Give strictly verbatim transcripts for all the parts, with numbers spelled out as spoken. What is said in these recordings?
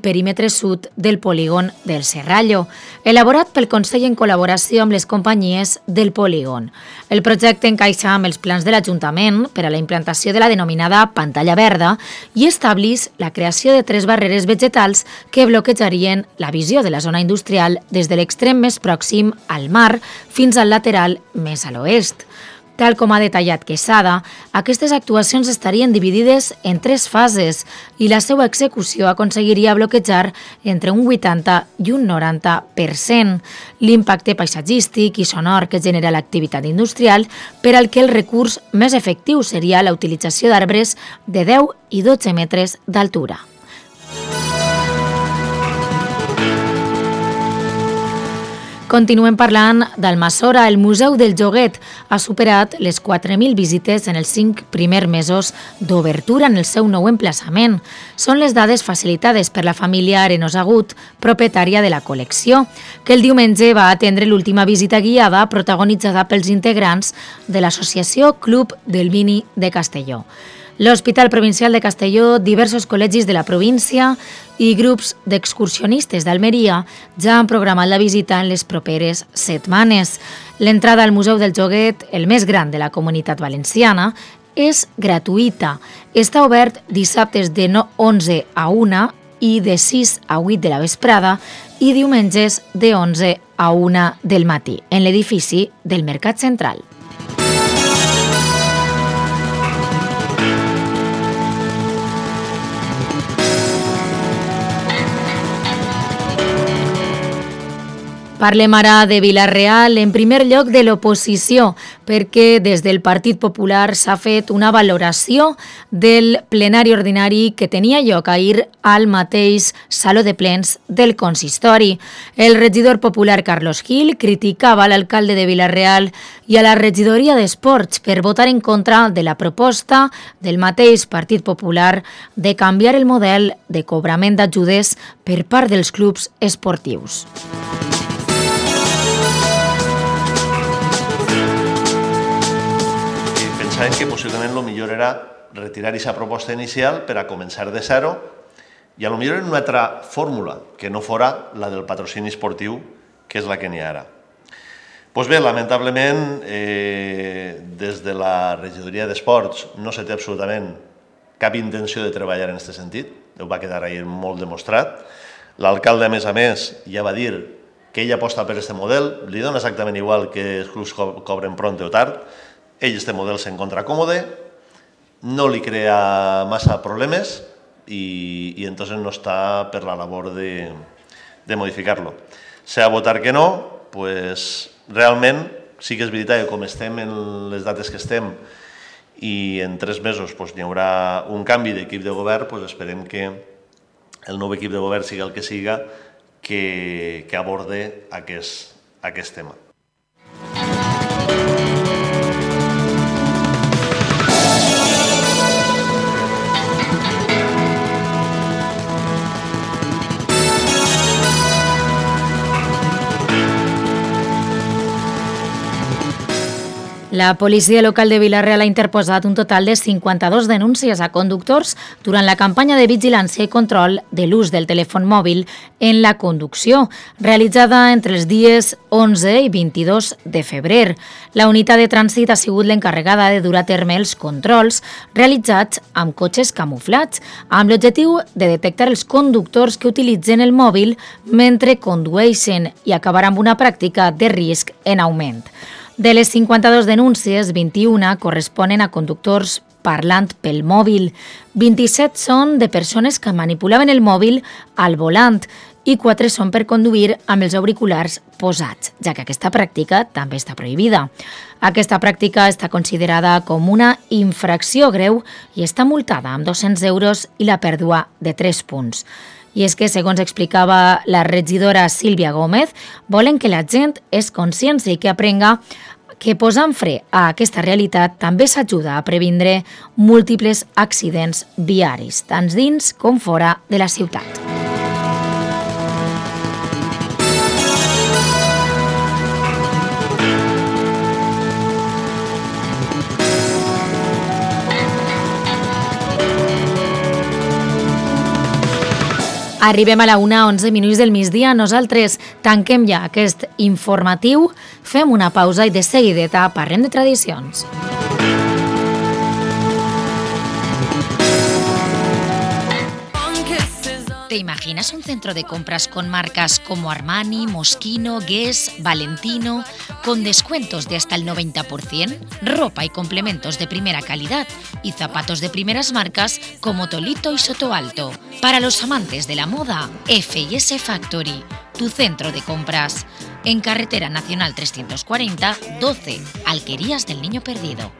perímetre sud del polígon del Serrallo, elaborat pel Consell en col·laboració amb les companyies del polígon. El projecte encaixa amb els plans de l'Ajuntament per a la implantació de la denominada pantalla verda i establís la creació de tres barreres vegetals que bloquejarien la visió de la zona industrial des de l'extrem més pròxim al mar fins al lateral més a l'oest. Tal com ha detallat Quesada, aquestes actuacions estarien dividides en tres fases i la seva execució aconseguiria bloquejar entre un vuitanta i un noranta per cent l'impacte paisatgístic i sonor que genera l'activitat industrial, per al que el recurs més efectiu seria la utilització d'arbres de deu i dotze metres d'altura. Continuem parlant d'Almassora. El Museu del Joguet ha superat les quatre mil visites en els cinc primers mesos d'obertura en el seu nou emplaçament. Són les dades facilitades per la família Arenos Agut, propietària de la col·lecció, que el diumenge va atendre l'última visita guiada protagonitzada pels integrants de l'Associació Club del Vini de Castelló. L'Hospital Provincial de Castelló, diversos col·legis de la província i grups d'excursionistes d'Almeria ja han programat la visita en les properes setmanes. L'entrada al Museu del Joguet, el més gran de la Comunitat Valenciana, és gratuïta. Està obert dissabtes de onze a una i de sis a vuit de la vesprada i diumenges de onze a una del matí en l'edifici del Mercat Central. Parlem ara de Vila-real, en primer lloc de l'oposició, perquè des del Partit Popular s'ha fet una valoració del plenari ordinari que tenia lloc ahir al mateix Saló de Plens del Consistori. El regidor popular Carlos Gil criticava l'alcalde de Vila-real i a la regidoria d'Esports per votar en contra de la proposta del mateix Partit Popular de canviar el model de cobrament d'ajudes per part dels clubs esportius. Pensàvem que possiblement el millor era retirar aquesta proposta inicial per a començar de zero i a lo millor en una altra fórmula que no fora la del patrocini esportiu, que és la que n'hi ha ara. Doncs bé, lamentablement, eh, des de la regidoria d'Esports no se té absolutament cap intenció de treballar en aquest sentit, ho va quedar ahir molt demostrat. L'alcalde, a més a més, ja va dir que ell aposta per aquest model, li dona exactament igual que els clubs co cobren pront o tard. Ell, este model, s'encontra còmode, no li crea massa problemes i, i entonces no està per la labor de, de modificar-lo. Si ha votar que no, pues, realment sí que és veritat que com estem en les dates que estem i en tres mesos pues, hi haurà un canvi d'equip de govern, pues, esperem que el nou equip de govern siga el que siga que, que aborde aquest, aquest tema. La policia local de Vila-real ha interposat un total de cinquanta-dos denúncies a conductors durant la campanya de vigilància i control de l'ús del telèfon mòbil en la conducció, realitzada entre els dies onze i vint-i-dos de febrer. La unitat de trànsit ha sigut l'encarregada de dur a terme els controls realitzats amb cotxes camuflats, amb l'objectiu de detectar els conductors que utilitzen el mòbil mentre condueixen i acabar amb una pràctica de risc en augment. De les cinquanta-dos denúncies, vint-i-una corresponen a conductors parlant pel mòbil, vint-i-set són de persones que manipulaven el mòbil al volant i quatre són per conduir amb els auriculars posats, ja que aquesta pràctica també està prohibida. Aquesta pràctica està considerada com una infracció greu i està multada amb dos-cents euros i la pèrdua de tres punts. I és que, segons explicava la regidora Sílvia Gómez, volen que la gent és consciència i que aprenga que posant fre a aquesta realitat també s'ajuda a previndre múltiples accidents viaris, tant dins com fora de la ciutat. Arribem a la una, onze minuts del migdia. Nosaltres tanquem ja aquest informatiu, fem una pausa i de seguideta parlem de tradicions. ¿Te imaginas un centro de compras con marcas como Armani, Moschino, Guess, Valentino, con descuentos de hasta el noventa por ciento, ropa y complementos de primera calidad y zapatos de primeras marcas como Tolito y Soto Alto? Para los amantes de la moda, F y S Factory, tu centro de compras. En Carretera Nacional trescientos cuarenta, doce, Alquerías del Niño Perdido.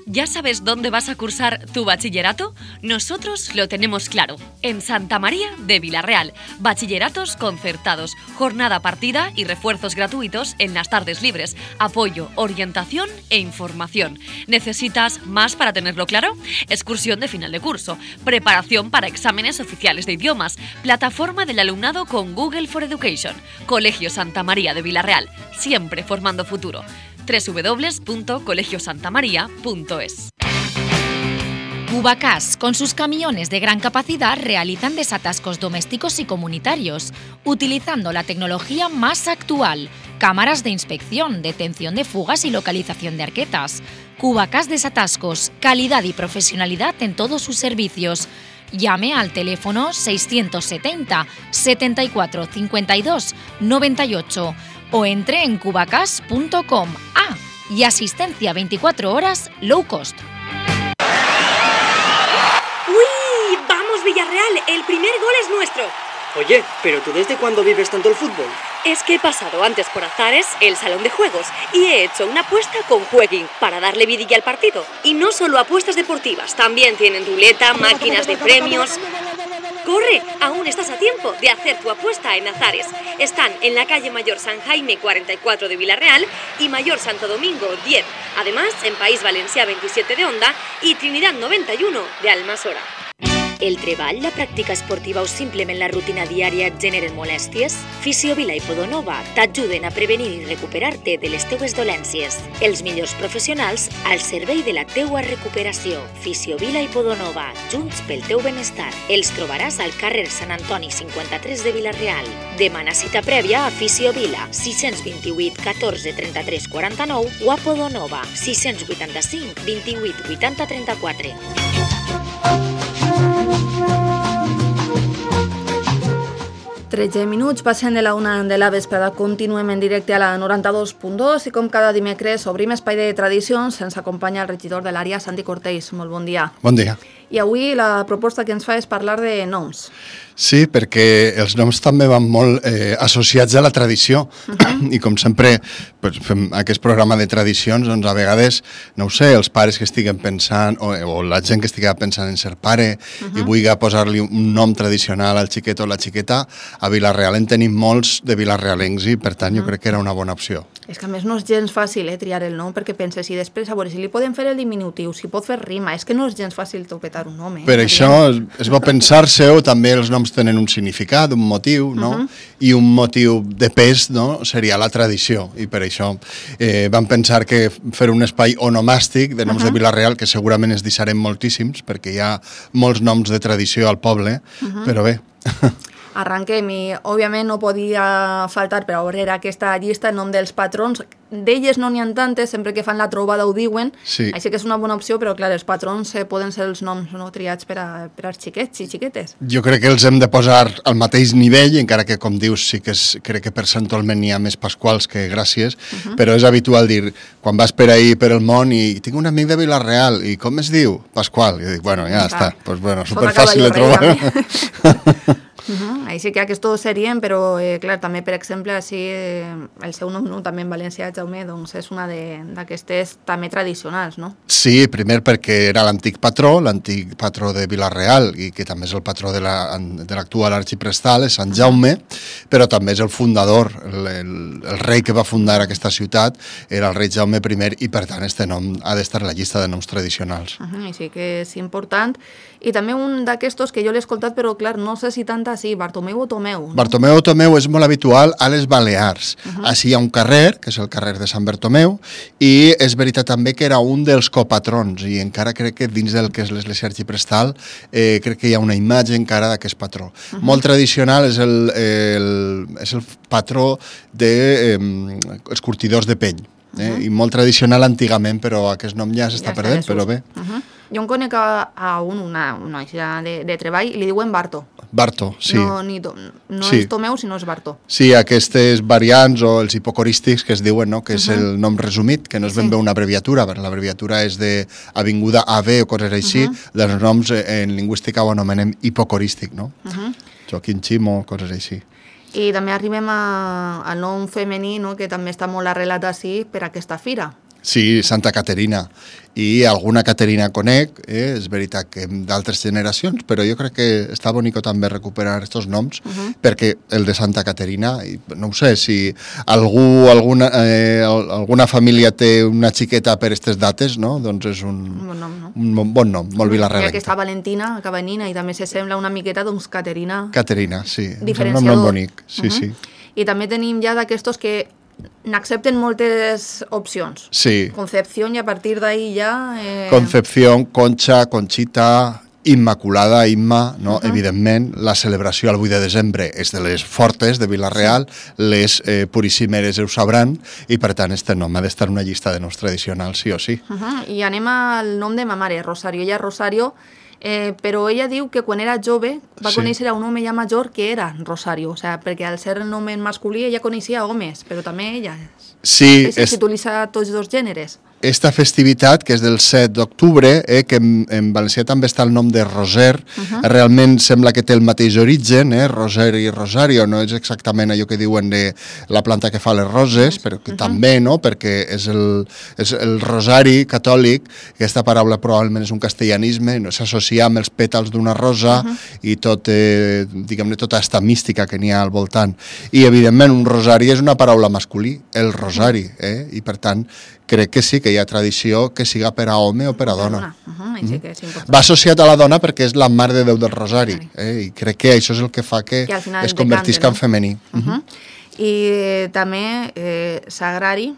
¿Ya sabes dónde vas a cursar tu bachillerato? Nosotros lo tenemos claro. En Santa María de Vilarreal. Bachilleratos concertados, jornada partida y refuerzos gratuitos en las tardes libres. Apoyo, orientación e información. ¿Necesitas más para tenerlo claro? Excursión de final de curso, preparación para exámenes oficiales de idiomas, plataforma del alumnado con Google for Education. Colegio Santa María de Vilarreal, siempre formando futuro. doble u doble u doble u punto colegio santa maría punto es. Cubacas, con sus camiones de gran capacidad, realizan desatascos domésticos y comunitarios, utilizando la tecnología más actual, cámaras de inspección, detención de fugas y localización de arquetas. Cubacas Desatascos, calidad y profesionalidad en todos sus servicios. Llame al teléfono seiscientos setenta, setenta y cuatro, cincuenta y dos, noventa y ocho o entre en cubacas punto com. Ah, y asistencia veinticuatro horas low cost. ¡Uy! ¡Vamos, Villarreal! El primer gol es nuestro. Oye, ¿pero tú desde cuándo vives tanto el fútbol? Es que he pasado antes por Azares, el salón de juegos, y he hecho una apuesta con Jueguin para darle vidilla al partido. Y no solo apuestas deportivas, también tienen ruleta, máquinas de premios. ¡Corre! Aún estás a tiempo de hacer tu apuesta en Azares. Están en la calle Mayor San Jaime cuarenta y cuatro de Vilarreal y Mayor Santo Domingo diez. Además, en País Valencià veintisiete de Onda y Trinidad noventa y uno de Almassora. El treball, la pràctica esportiva o simplement la rutina diària et generen molèsties? Fisiovila i Podonova t'ajuden a prevenir i recuperar-te de les teues dolències. Els millors professionals al servei de la teua recuperació. Fisiovila i Podonova, junts pel teu benestar. Els trobaràs al carrer Sant Antoni cinquanta-tres de Vilarreal. Demana cita prèvia a Fisiovila, sis dos vuit, catorze, trenta-tres, quaranta-nou o a Podonova, sis vuitanta-cinc, vint-i-vuit, vuitanta, trenta-quatre. tretze minuts, passen de la una de la vesprada. Continuem en directe a la noranta-dos punt dos i com cada dimecres obrim espai de tradicions. Ens acompanya el regidor de l'àrea, Santi Cortells. Molt bon dia. Bon dia. I avui la proposta que ens fa és parlar de noms. Sí, perquè els noms també van molt eh, associats a la tradició. Uh-huh. I com sempre pues, fem aquest programa de tradicions, doncs a vegades, no ho sé, els pares que estiguen pensant, o, o la gent que estigui pensant en ser pare, uh-huh. i vulgui posar-li un nom tradicional al xiquet o la xiqueta, a Vilarreal en tenim molts de vilarrealencs i per tant uh-huh. jo crec que era una bona opció. És que a més no és gens fàcil eh, triar el nom, perquè penses, i després a veure si li podem fer el diminutiu, si pot fer rima, és que no és gens fàcil topetar un nom. Eh? Per això és bo pensar-se-ho, també els noms tenen un significat, un motiu, no? Uh-huh. I un motiu de pes, no? Seria la tradició, i per això eh, vam pensar que fer un espai onomàstic de noms uh-huh. de Vilarreal, que segurament es deixarem moltíssims, perquè hi ha molts noms de tradició al poble, uh-huh. però bé... Arranquem i, òbviament, no podia faltar per a obrir aquesta llista el nom dels patrons. D'elles no n'hi ha tantes, sempre que fan la trobada ho diuen, sí. Així que és una bona opció, però clar, els patrons eh, poden ser els noms no, triats per, a, per als xiquets i xiquetes. Jo crec que els hem de posar al mateix nivell, encara que, com dius, sí que és, crec que per Sant Olmen n'hi ha més pasquals que gràcies, uh-huh. però és habitual dir, quan vas per ahí, per el món, i tinc un amic de Vilarreal, i com es diu? Pasqual. I jo dic, bueno, ja clar. Està, pues, bueno, superfàcil de trobar. Uh-huh. Així que aquests serien, però eh, clar, també per exemple així, eh, el seu nom no, també en valencià, Jaume, doncs és una d'aquestes també tradicionals, no? Sí, primer perquè era l'antic patró, l'antic patró de Vilarreal i que també és el patró de l'actual la, arxiprestal, és Sant Jaume, però també és el fundador, el, el, el rei que va fundar aquesta ciutat era el rei Jaume primer i per tant este nom ha d'estar a la llista de noms tradicionals. Uh-huh. Així que és important. I també un d'aquestos que jo l'he escoltat, però clar, no sé si tanta sí, Bartomeu o Tomeu. No? Bartomeu o Tomeu és molt habitual a les Balears. Uh -huh. Així hi ha un carrer, que és el carrer de Sant Bartomeu, i és veritat també que era un dels copatrons, i encara crec que dins del que és l'església arxiprestal eh, crec que hi ha una imatge encara d'aquest patró. Uh -huh. Molt tradicional, és el, el, és el patró dels eh, curtidors de pell. Eh? Uh -huh. I molt tradicional antigament, però aquest nom ja s'està ja perdent, però bé. Uh -huh. Jo em conec a, a un, una, una noia de, de treball, i li diuen Barto. Barto, sí. No, ni to, no sí. és Tomeu, sinó és Barto. Sí, aquestes variants o els hipocorístics que es diuen, no? Que és uh -huh. el nom resumit, que no és ben bé una abreviatura, perquè l'abreviatura és de Avinguda A B o coses així, uh -huh. dels noms en lingüística ho anomenem hipocorístic, no? Uh -huh. Joaquim Ximo, coses així. I també arribem a, al nom femení, no? Que també està molt arrelat així per aquesta fira. Sí, Santa Caterina. I alguna Caterina conec, eh? És veritat que d'altres generacions, però jo crec que està bonico també recuperar aquests noms, uh -huh. perquè el de Santa Caterina, no ho sé, si algú, alguna, eh, alguna família té una xiqueta per aquestes dates, no? Doncs és un, un bon nom, no? Un bon nom, molt vilarrelenc. I aquesta Valentina, Cabanina, i també se sembla una miqueta, doncs, Caterina. Caterina, sí. Diferenciador. És un nom bonic, sí, uh -huh. sí. I també tenim ja d'aquestos que n'accepten moltes opcions. Sí. Concepción, i a partir d'ahí ja... Eh... Concepción, Concha, Conchita, Immaculada, Imma, no? Uh -huh. Evidentment, la celebració al vuit de desembre és de les fortes de Vila-real, sí. Les eh, puríssimeres ho sabran, i per tant este nom ha d'estar en una llista de noms tradicionals, sí o sí. Uh -huh. I anem al nom de ma mare, Rosario. Ella Rosario, eh, però ella diu que quan era jove va sí. conèixer a un home ja major que era Rosario, o sea, perquè al ser el nom en masculí ella coneixia homes, però també ella és... Sí, és... s'utilitza tots dos gèneres. Esta festivitat, que és del set d'octubre, eh, que en, en valencià també està el nom de Roser, uh -huh. realment sembla que té el mateix origen, eh, Roser i Rosario, no és exactament allò que diuen de la planta que fa les roses, però que uh -huh. també, no?, perquè és el, és el rosari catòlic, aquesta paraula probablement és un castellanisme, no? S'associa amb els pètals d'una rosa uh -huh. i tot, eh, diguem-ne, tota aquesta mística que n'hi ha al voltant. I, evidentment, un rosari és una paraula masculí, el rosari, eh, i, per tant, crec que sí, que hi ha tradició que siga per a home o per a dona. Uh -huh, mm. que és Va associat a la dona perquè és la Mare de Déu del Rosari, eh? I crec que això és el que fa que, que es convertisca, no?, en femení. Uh -huh. Uh -huh. I eh, també eh, Sagrari.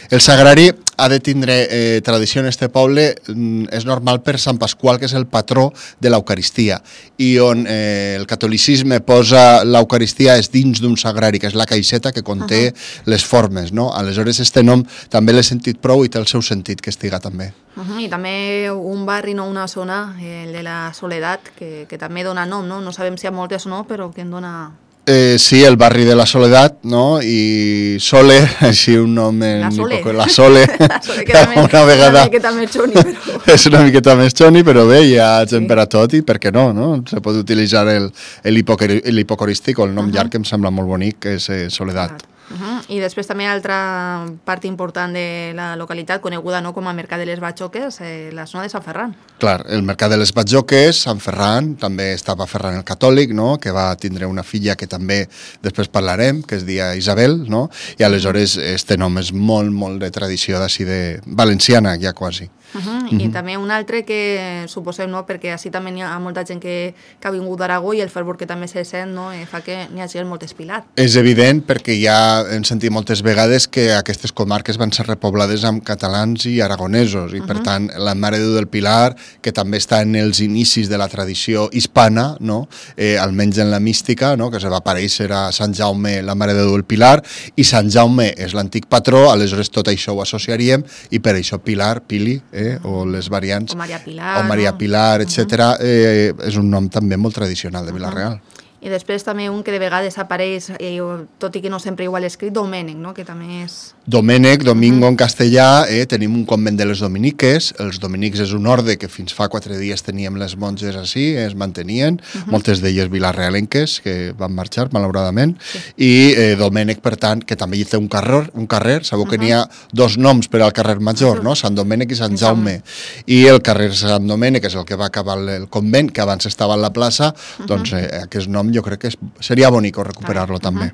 El Sagrari ha de tindre eh, tradició en este poble, mm, és normal per Sant Pasqual, que és el patró de l'Eucaristia, i on eh, el catolicisme posa l'Eucaristia és dins d'un sagrari, que és la caixeta que conté uh -huh. les formes, no? Aleshores, este nom també l'he sentit prou i té el seu sentit que estiga també. Uh -huh. I també un barri, no una zona, el de la Soledat, que, que també dona nom, no? No sabem si hi ha moltes o no, però que en dona... Eh, sí, el barri de la Soledat, no? I Sole, així un nom en... La Sole. Poco, la Sole. La Sole, que també una vegada... una miqueta més xoni, però... És una miqueta més xoni, però bé, hi ha gent sí. per a tot, i per què no, no? Se pot utilitzar el, el, hipocori, el hipocorístic, o el nom uh -huh. llarg, que em sembla molt bonic, que és eh, Soledat. Uh -huh. I després també altra part important de la localitat, coneguda, no?, com a Mercat de les Batxoques, eh, la zona de Sant Ferran. Clar, el Mercat de les Batxoques, Sant Ferran, també estava Ferran el Catòlic, no?, que va tindre una filla que també després parlarem, que es dia Isabel, no?, i aleshores este nom és molt, molt de tradició d'ací de valenciana, ja quasi. Uh -huh. Uh -huh. I també un altre que suposem, no?, perquè així també hi ha molta gent que, que ha vingut d'Aragó, i el fervor que també se sent, no?, eh, fa que n'hi hagi molt espilat. És evident, perquè ja hem sentit moltes vegades que aquestes comarques van ser repoblades amb catalans i aragonesos, i uh -huh. per tant la Mare de Déu del Pilar, que també està en els inicis de la tradició hispana, no?, eh, almenys en la mística, no?, que se va aparèixer a Sant Jaume la Mare de Déu del Pilar, i Sant Jaume és l'antic patró, aleshores tot això ho associaríem, i per això Pilar, Pili, eh, o les variants, o Maria Pilar, o Maria Pilar, no? etcètera, eh, és un nom també molt tradicional de Vila-real. I després també un que de vegades apareix, eh, tot i que no sempre igual escrit, Domènec, no?, que també és... Domènec, Domingo, uh -huh. en castellà, eh, tenim un convent de les dominiques. Els dominics és un orde que fins fa quatre dies teníem les monges així, es mantenien, uh -huh. moltes d'elles vilarrealenques, que van marxar, malauradament, sí. i eh, Domènec, per tant, que també hi té un carrer, un carrer, sabeu uh -huh. que n'hi ha dos noms per al carrer Major, no?, Sant Domènec i Sant Jaume, i el carrer Sant Domènec és el que va acabar el convent, que abans estava a la plaça, uh -huh. doncs eh, aquest nom jo crec que és, seria bonic recuperar-lo uh -huh. també.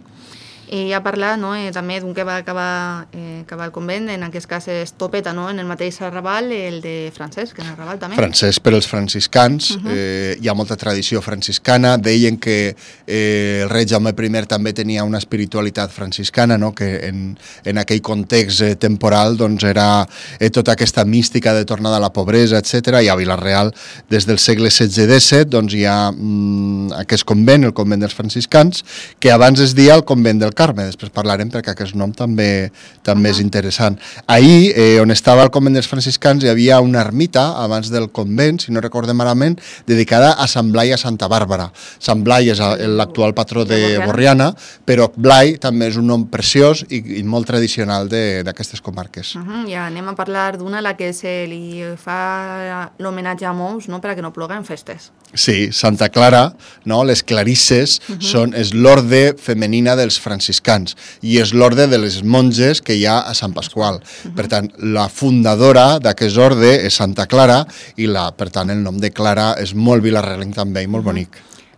I ja parlar no, eh, també d'un que va acabar, eh, acabar el convent, en aquest cas és Topeta, no? En el mateix arrabal, el de Francesc, en el arrabal també. Francesc per als franciscans, uh -huh. eh, hi ha molta tradició franciscana, deien que eh, el rei Jaume primer també tenia una espiritualitat franciscana, no? Que en, en aquell context eh, temporal doncs, era eh, tota aquesta mística de tornada a la pobresa, etcètera. I a Vila-real, des del segle setze disset, doncs, hi ha mm, aquest convent, el convent dels franciscans, que abans es dia el convent del Carme, després parlarem perquè aquest nom també també uh -huh. és interessant. Ahir, eh, on estava el convent dels franciscans, hi havia una ermita abans del convent, si no recordem malament, dedicada a Sant Blai a Santa Bàrbara. Sant Blai és l'actual patró de Borriana, però Blai també és un nom preciós i, i molt tradicional d'aquestes comarques. Uh -huh. Ja anem a parlar d'una a la que se li fa l'homenatge a molts, no?, perquè no ploga en festes. Sí, Santa Clara, no? Les clarisses, uh -huh. són, és l'orde femenina dels franciscans i és l'orde de les monges que hi ha a Sant Pasqual. Uh -huh. Per tant, la fundadora d'aquest orde és Santa Clara i, la, per tant, el nom de Clara és molt vilarrealenc també i molt uh -huh. bonic.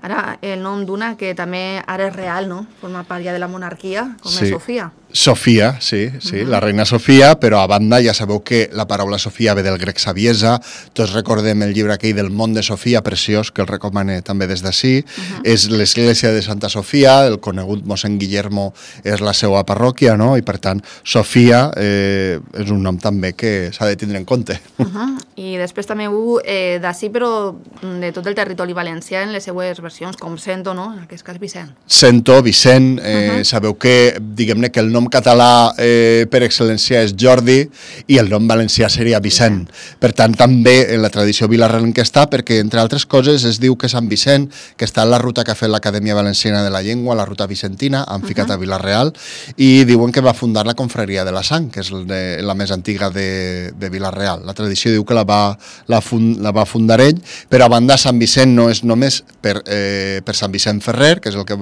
Ara, el nom d'una que també ara és real, no? Forma part ja de la monarquia, com sí. és Sofia. Sofia, sí, sí, uh -huh. la reina Sofia, però a banda ja sabeu que la paraula Sofia ve del grec saviesa, tots recordem el llibre aquell del món de Sofia, preciós, que el recomane també des d'ací, uh -huh. és l'església de Santa Sofia, el conegut mossèn Guillermo és la seva parròquia, no? I per tant, Sofia eh, és un nom també que s'ha de tindre en compte. Uh -huh. I després també ho eh, d'ací, però de tot el territori valencià en les seues versions, com Sento, no? En aquest cas Vicent. Sento, Vicent, eh, uh -huh. sabeu que, diguem-ne, que el nom català eh, per excel·lència és Jordi i el nom valencià seria Vicent. Per tant, també en la tradició vilarrealenca està, perquè, entre altres coses, es diu que Sant Vicent, que està en la ruta que ha fet l'Acadèmia Valenciana de la Llengua, la ruta vicentina, han ficat uh -huh. a Vila-real, i diuen que va fundar la confraria de la Sang, que és de, la més antiga de, de Vila-real. La tradició diu que la va, la, fund, la va fundar ell, però a banda Sant Vicent no és només per, eh, per Sant Vicent Ferrer, que és el que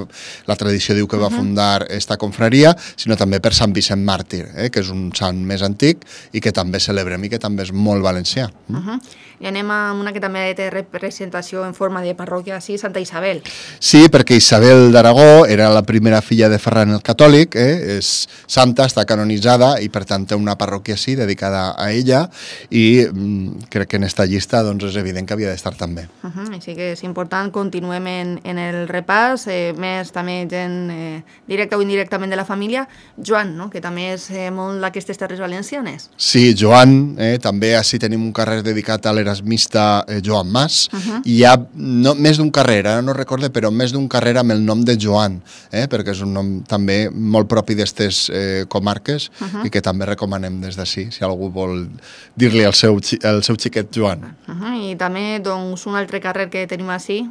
la tradició diu que va fundar esta confraria, sinó també per Sant Vicent Màrtir, eh, que és un sant més antic i que també celebrem i que també és molt valencià. Uh -huh. I anem a una que també té representació en forma de parròquia, sí, Santa Isabel. Sí, perquè Isabel d'Aragó era la primera filla de Ferran el Catòlic, eh, és santa, està canonitzada i per tant té una parròquia sí, dedicada a ella, i mm, crec que en esta llista doncs, és evident que havia d'estar també. Uh -huh. Així que és important, continuem en, en el repàs, eh, més també gent eh, directa o indirectament de la família. Joan, no?, que també és eh, molt d'aquestes terres valencianes. Sí, Joan, eh, també així tenim un carrer dedicat a l'erasmista eh, Joan Mas, uh -huh. i hi ha no, més d'un carrer, ara no recorde, però més d'un carrer amb el nom de Joan, eh, perquè és un nom també molt propi d'aquestes eh, comarques uh -huh. i que també recomanem des d'ací, si algú vol dir-li al seu, al seu xiquet Joan. Uh -huh. I també doncs, un altre carrer que tenim així,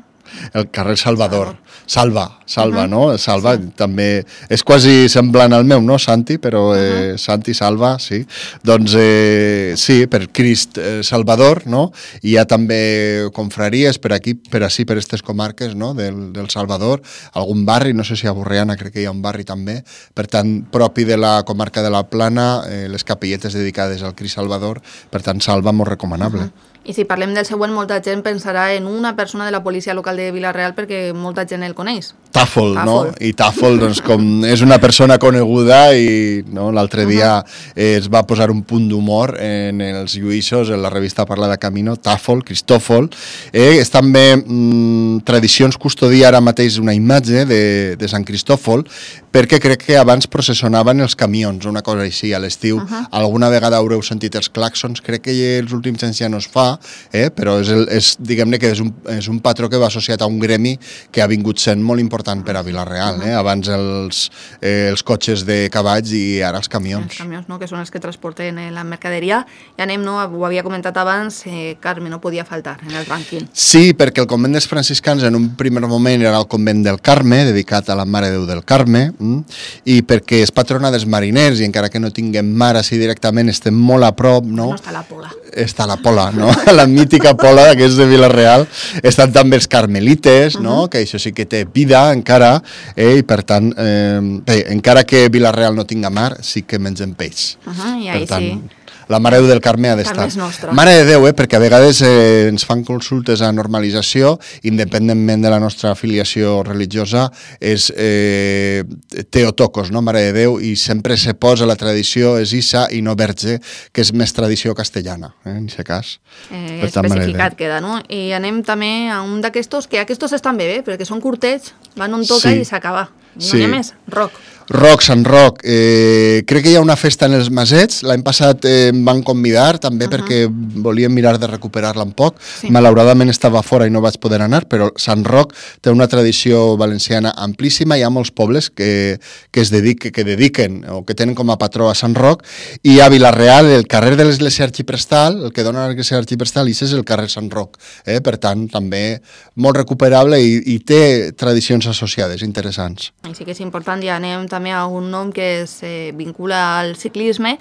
el carrer Salvador. Salva, Salva, uh -huh. no? Salva, sí. També és quasi semblant al meu, no, Santi? Però eh, uh -huh. Santi, Salva, sí. Doncs eh, sí, per Crist eh, Salvador, no? I hi ha també confraries per aquí, per així, per aquestes comarques, no?, del, del Salvador. Algun barri, no sé si a Borriana crec que hi ha un barri també. Per tant, propi de la comarca de la Plana, eh, les capelletes dedicades al Crist Salvador. Per tant, Salva, molt recomanable. Uh -huh. I si parlem del següent, molta gent pensarà en una persona de la policia local de Vila-real perquè molta gent el coneix. Tàfol, no? I Tàfol, doncs, com és una persona coneguda i no, l'altre dia eh, es va posar un punt d'humor en els lluïssos, en la revista Parla de Camino, Tàfol, Cristòfol. Eh, és també mm, Tradicions custodia ara mateix una imatge de, de Sant Cristòfol, perquè crec que abans processionaven els camions, una cosa així, a l'estiu. Uh -huh. Alguna vegada haureu sentit els clàxons, crec que els últims anys ja no es fa, eh, però és, el, és diguem-ne que és un, és un patró que va associat a un gremi que ha vingut sent molt important per a Vila-real, eh? Abans els, eh, els cotxes de cavalls i ara els camions. Els camions, no?, que són els que transporten la mercaderia. I anem, no?, ho havia comentat abans, eh, Carme no podia faltar en el rànquing. Sí, perquè el convent dels franciscans en un primer moment era el convent del Carme, dedicat a la Mare de Déu del Carme, mm? i perquè és patrona dels mariners i encara que no tinguem mar així directament estem molt a prop, no? No està la Pola. Està la Pola, no? La mítica Pola, que és de Vila-real. Estan també els carmelites, uh -huh. no? Que això sí que té vida encara, eh? I per tant, eh, bé, encara que Vila-real no tinga mar, sí que mengem peix. Uh -huh, I ahí per tant, sí. la Mare de Déu del Carme ha d'estar. Carme és nostra. Mare de Déu, eh, perquè a vegades eh, ens fan consultes a normalització, independentment de la nostra afiliació religiosa, és eh, Teotocos, no? Mare de Déu, i sempre se posa la tradició és Issa i no Verge, que és més tradició castellana, eh, en aquest cas. Eh, especificat queda, no? I anem també a un d'aquestos, que aquests estan bé, bé, perquè són curtets, van on toca Sí. i s'acaba. No Sí. hi ha més, rock. Roc, Sant Roc, eh, crec que hi ha una festa en els Masets, l'any passat eh, em van convidar també uh -huh. perquè volíem mirar de recuperar-la un poc, sí. Malauradament estava fora i no vaig poder anar, però Sant Roc té una tradició valenciana amplíssima, hi ha molts pobles que, que es dediquen, que dediquen o que tenen com a patró a Sant Roc, i a Vila-real, el carrer de l'Església Arxiprestal, el que dona l'Església Arxiprestal, i és el carrer Sant Roc, eh? Per tant, també molt recuperable i, i té tradicions associades interessants. Així que és important, ja anem també a un nom que es eh, vincula al ciclisme,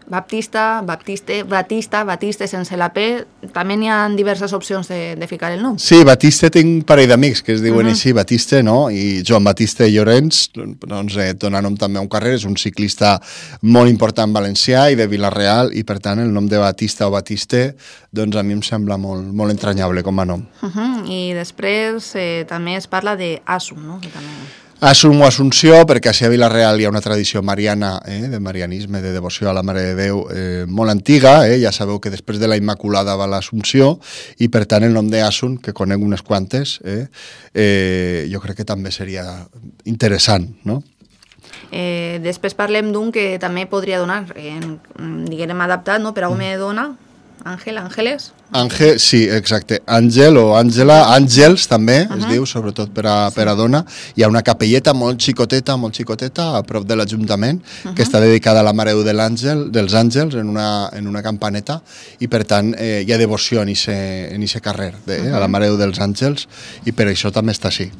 Baptista, Baptiste, Batista, Batiste sense la P, també n'hi ha diverses opcions de, de ficar el nom. Sí, Batiste tinc un parell d'amics que es diuen uh -huh. així, Batiste, no? I Joan Batiste Llorenç, doncs eh, dona nom també a un carrer, és un ciclista molt important valencià i de Vila-real, i per tant el nom de Batista o Batiste, doncs a mi em sembla molt, molt entranyable com a nom. Uh -huh. I després eh, també es parla de Asum, no? Que també... Assum o Assumpció, perquè a Vila-real hi ha una tradició mariana, eh, de marianisme, de devoció a la Mare de Déu eh, molt antiga, eh, ja sabeu que després de la Immaculada va l'Assumpció, i per tant el nom d'Assum, que conec unes quantes, eh, eh, jo crec que també seria interessant, no? Eh, després parlem d'un que també podria donar, eh, diguem adaptat, no? Per a home i dona, Àngel, Àngeles. Àngel, sí, exacte. Àngel o Àngela, Àngels també, uh -huh. es diu, sobretot per a, per a dona. Hi ha una capelleta molt xicoteta, molt xicoteta, a prop de l'Ajuntament, uh -huh. que està dedicada a la Mare de l'Àngel, dels Àngels, en una, en una campaneta, i per tant eh, hi ha devoció en aquest carrer, de, uh -huh. a la Mare dels Àngels, i per això també està així.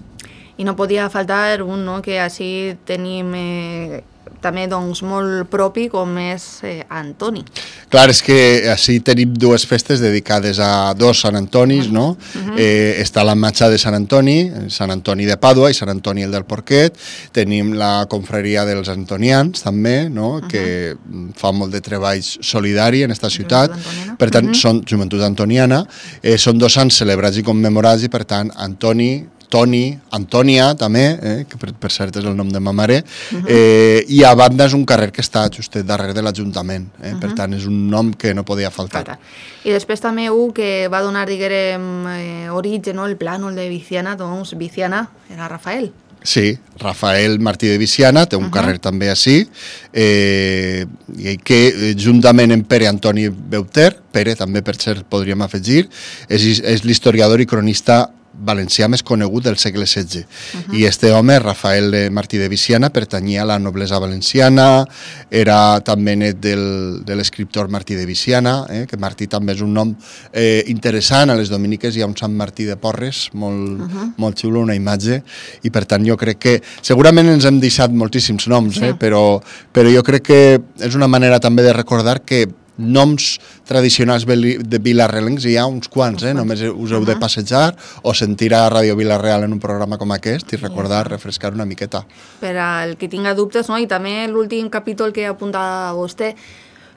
I no podia faltar un, no?, que així tenim... Eh... també doncs, molt propi, com és eh, Antoni. Clar, és que així tenim dues festes dedicades a dos Sant Antonis, no? Uh-huh. eh, està la matxa de Sant Antoni, Sant Antoni de Pàdua i Sant Antoni el del Porquet. Tenim la confraria dels antonians, també, no? Uh-huh. Que fa molt de treball solidari en aquesta ciutat. Per tant, uh-huh. són Joventut Antoniana. Eh, són dos sants celebrats i commemorats, i per tant, Antoni, Toni, Antònia, també, eh, que per, per cert és el nom de ma mare, uh-huh. eh, i a banda és un carrer que està justet darrere de l'Ajuntament, eh, uh-huh. per tant és un nom que no podia faltar. Clar. I després també un que va donar, diguem, eh, origen, no, el plànol de Viciana, doncs Viciana era Rafael. Sí, Rafael Martí de Viciana, té un uh-huh. carrer també així, eh, i que juntament amb Pere Antoni Beuter, Pere també per cert podríem afegir, és, és l'historiador i cronista valencià més conegut del segle setze. Uh-huh. I este home, Rafael Martí de Viciana, pertanyia a la noblesa valenciana, era també net del, de l'escriptor Martí de Viciana, eh, que Martí també és un nom eh, interessant. A les Dominiques hi ha un Sant Martí de Porres, molt, uh-huh. molt xulo, una imatge, i per tant jo crec que segurament ens hem deixat moltíssims noms, sí. eh, però, però jo crec que és una manera també de recordar que noms tradicionals de vilarrealencs hi ha uns quants, eh? Només us heu de passejar o sentir a Ràdio Vila-real en un programa com aquest i recordar, refrescar una miqueta. Per al que tinga dubtes, no? I també l'últim capítol que apuntava vostè,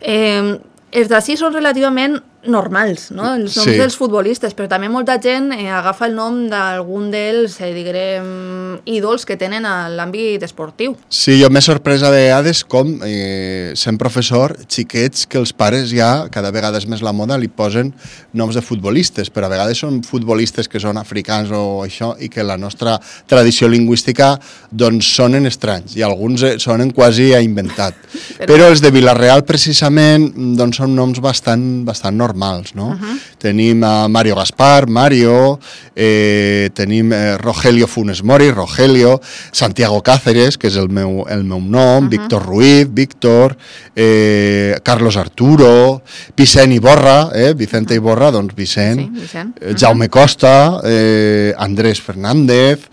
eh, els d'ací són relativament normals, no? Els noms sí. dels futbolistes, però també molta gent eh, agafa el nom d'algun dels, eh, diguem, ídols que tenen a l'àmbit esportiu. Sí, jo m'he sorprès a vegades com, eh, sent professor, xiquets que els pares ja, cada vegada és més la moda, li posen noms de futbolistes, però a vegades són futbolistes que són africans o això, i que la nostra tradició lingüística doncs sonen estranys, i alguns sonen quasi a inventat. Però, però els de Vila-real, precisament, doncs són noms bastant, bastant normals. Normals, no? Uh-huh. Tenim a Mario Gaspar, Mario, eh, tenim eh, Rogelio Funes Mori, Rogelio, Santiago Cáceres, que és el meu, el meu nom, uh-huh. Víctor Ruiz, Víctor, eh, Carlos Arturo, Vicent Iborra, eh, Vicente Iborra, doncs Vicent, sí, Vicent. Uh-huh. Jaume Costa, eh, Andrés Fernández,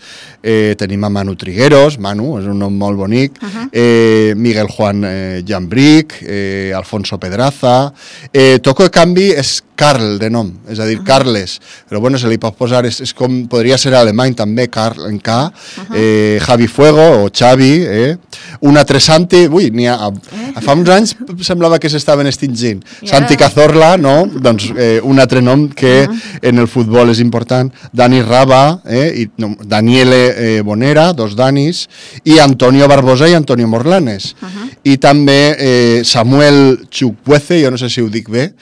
eh, tenim a Manu Trigueros, Manu, és un nom molt bonic, uh-huh. eh, Miguel Juan eh, Jambric, eh, Alfonso Pedraza, eh, Toco de canvi és Karl de nom, és a dir, uh-huh. Carles, però bueno, se li pot posar, és, és com podria ser alemany també, Karl en K, uh-huh. eh, Javi Fuego o Xavi, eh, un altre Santi, ui, n'hi ha, eh? fa uns anys semblava que s'estaven extingint, yeah. Santi Cazorla, no? Doncs eh, un altre nom que uh-huh. en el futbol és important, Dani Raba, eh, i, no, Daniele eh, Bonera, dos Danis, i Antonio Barbosa i Antonio Morlanes, uh-huh. i també eh, Samuel Chukwueze, jo no sé si ho dic bé,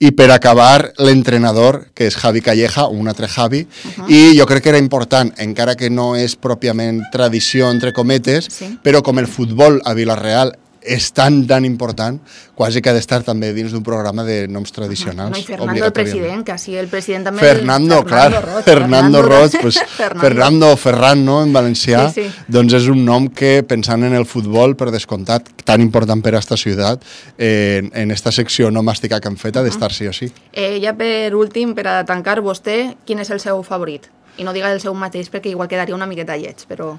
i per acabar l'entrenador, que és Javi Calleja, un altre Javi, uh-huh. i jo crec que era important, encara que no és pròpiament tradició, entre cometes, sí. però com el futbol a Vila-real és tan, tan important, quasi que ha d'estar també dins d'un programa de noms tradicionals. No, i Fernando el president, que així el president també... Fernando, el... clar, Fernando Roig, Fernando Roig, pues, Fernando. Fernando o Ferran, no?, en valencià, sí, sí. doncs és un nom que, pensant en el futbol, per descomptat, tan important per a esta ciutat, eh, en esta secció nomàstica que han fet, ha d'estar sí o sí. Eh, ja per últim, per a tancar, vostè, quin és el seu favorit? I no diga el seu mateix, perquè igual quedaria una miqueta lleig, però...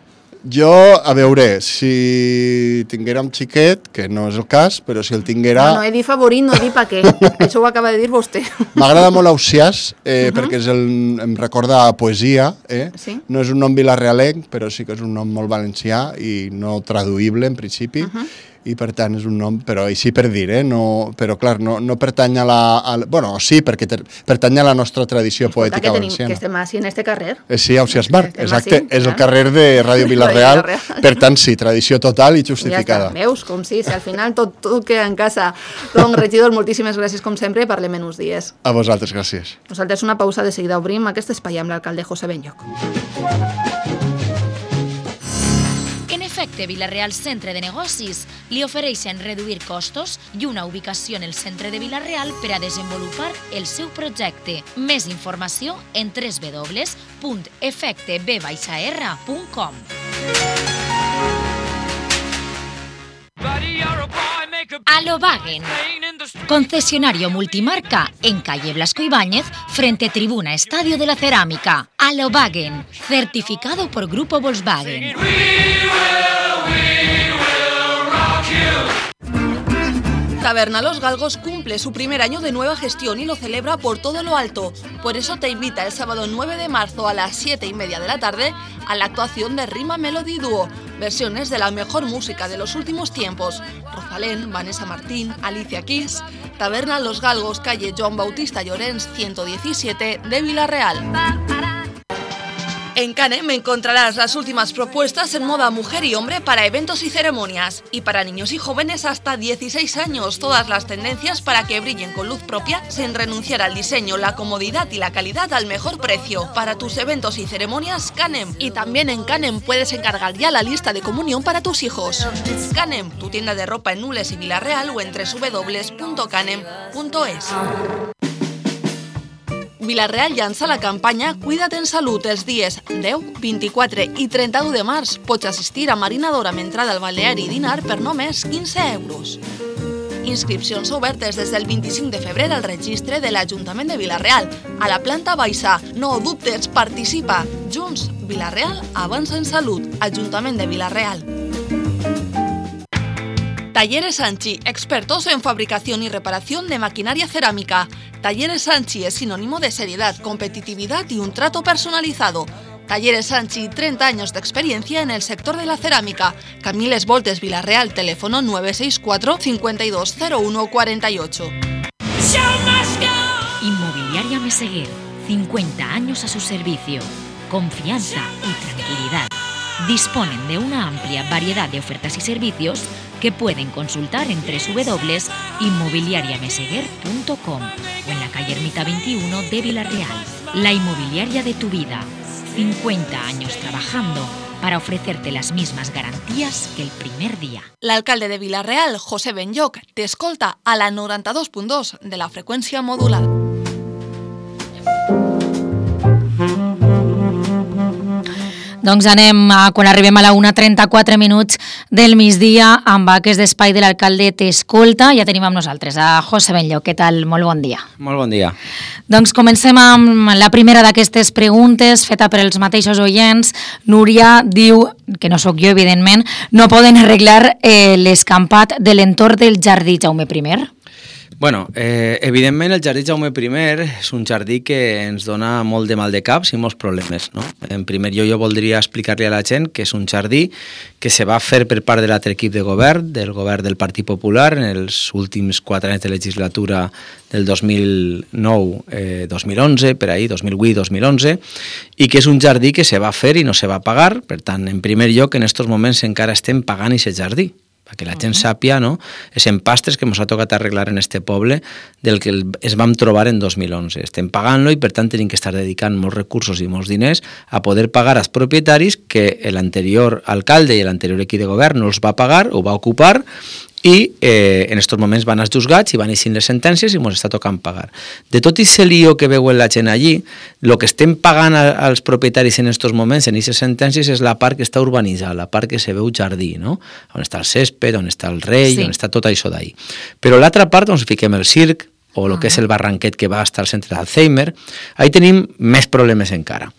Jo, a veure, si tinguérem xiquet, que no és el cas, però si el tinguera... No, no he dit favorit, no he dit pa què. Això ho acaba de dir vostè. M'agrada molt Ausiàs, eh, uh-huh. perquè és el, em recorda a poesia. Eh? Sí? No és un nom vilarealenc, però sí que és un nom molt valencià i no traduïble, en principi. Uh-huh. I per tant és un nom, però així per dir, eh? no, però clar, no, no pertany a la... A, bueno, sí, perquè ter, pertany a la nostra tradició Escolta, poètica que tenim, valenciana. Que estem així en este carrer. Eh, sí, Ausiàs Marc, exacte, així, és eh? el carrer de Ràdio Vila-real, per tant sí, tradició total i justificada. Ja està, veus, com sí, si al final tot, tot queda en casa. Doncs, regidor, moltíssimes gràcies com sempre, parlem en uns dies. A vosaltres, gràcies. Nosaltres una pausa, de seguida obrim aquest espai amb l'alcalde José Benlloch. Efecte Vila-real Centre de Negocis li ofereixen reduir costos i una ubicació en el centre de Vila-real per a desenvolupar el seu projecte. Més informació en w w w punt efecte b r punt com. Alobagen, concesionario multimarca en calle Blasco Ibáñez frente Tribuna Estadio de la Cerámica. Alobagen, certificado por Grupo Volkswagen. Taberna Los Galgos cumple su primer año de nueva gestión y lo celebra por todo lo alto. Por eso te invita el sábado nueve de marzo a las siete y media de la tarde a la actuación de Rima Melody Duo. Versiones de la mejor música de los últimos tiempos. Rosalén, Vanessa Martín, Alicia Keys. Taberna Los Galgos, calle Joan Bautista Llorens, ciento diecisiete de Vila-real. En Canem encontrarás las últimas propuestas en moda mujer y hombre para eventos y ceremonias. Y para niños y jóvenes hasta dieciséis años, todas las tendencias para que brillen con luz propia sin renunciar al diseño, la comodidad y la calidad al mejor precio. Para tus eventos y ceremonias, Canem. Y también en Canem puedes encargar ya la lista de comunión para tus hijos. Canem, tu tienda de ropa en Nules y Vila-real o en w w w punto canem punto es. Vila-real llança la campanya Cuida't en Salut els dies deu, vint-i-quatre i trenta-u de març. Pots assistir a marinador amb entrada al balneari i dinar per només quinze euros. Inscripcions obertes des del vint-i-cinc de febrer al registre de l'Ajuntament de Vila-real. A la planta baixa, no dubtes, participa. Junts, Vila-real avança en salut. Ajuntament de Vila-real. Talleres Sanchi, expertos en fabricación y reparación de maquinaria cerámica. Talleres Sanchi es sinónimo de seriedad, competitividad y un trato personalizado. Talleres Sanchi, treinta años de experiencia en el sector de la cerámica. Camiles Voltes, Vila-real, teléfono nueve seis cuatro, cinco dos cero uno cuatro ocho. Inmobiliaria Meseguer, cincuenta años a su servicio. Confianza y tranquilidad. Disponen de una amplia variedad de ofertas y servicios que pueden consultar en w w w punto inmobiliaria meseguer punto com o en la calle Ermita veintiuno de Vila-real. La inmobiliaria de tu vida. cincuenta años trabajando para ofrecerte las mismas garantías que el primer día. L'alcalde de Vila-real, José Benlloch, te escolta a la noranta-dos punt dos de la freqüència modulada. Doncs anem, a, quan arribem a la una trenta-quatre minuts del migdia, amb aquest espai de l'alcalde t'escolta. Ja tenim amb nosaltres a José Benllo. Què tal? Molt bon dia. Molt bon dia. Doncs comencem amb la primera d'aquestes preguntes, feta per els mateixos oients. Núria diu, que no sóc jo, evidentment, no poden arreglar eh, l'escampat de l'entorn del jardí Jaume primer? Bueno, eh, evidentment el jardí Jaume primer és un jardí que ens dona molt de mal de caps i molts problemes, no? En primer lloc, jo voldria explicar-li a la gent que és un jardí que se va fer per part de l'altre equip de govern, del govern del Partit Popular, en els últims quatre anys de legislatura del dos mil nou dos mil onze, per ahí, dos mil vuit dos mil onze, i que és un jardí que se va fer i no se va pagar. Per tant, en primer lloc, en aquests moments encara estem pagant aquest jardí, perquè la gent sàpia, no?, els empastres que ens ha tocat arreglar en este poble del que es vam trobar en dos mil onze. Estem pagant-lo i, per tant, tenim que estar dedicant molts recursos i molts diners a poder pagar als propietaris que l'anterior alcalde i l'anterior equip de govern no els va pagar, ho va ocupar, i eh, en aquests moments van als juzgats i van eixint les sentències i ens està tocant pagar. De tot aquest lío que veuen la gent allí, el que estem pagant a, als propietaris en aquests moments, en aquestes sentències, és la part que està urbanitzada, la part que se veu jardí, no? On està el césped, on està el rei, sí, on està tot això d'ahí. Però l'altra part, on fiquem el circ, o el que és el barranquet que va estar al centre d'Alzheimer, ahí tenim més problemes encara.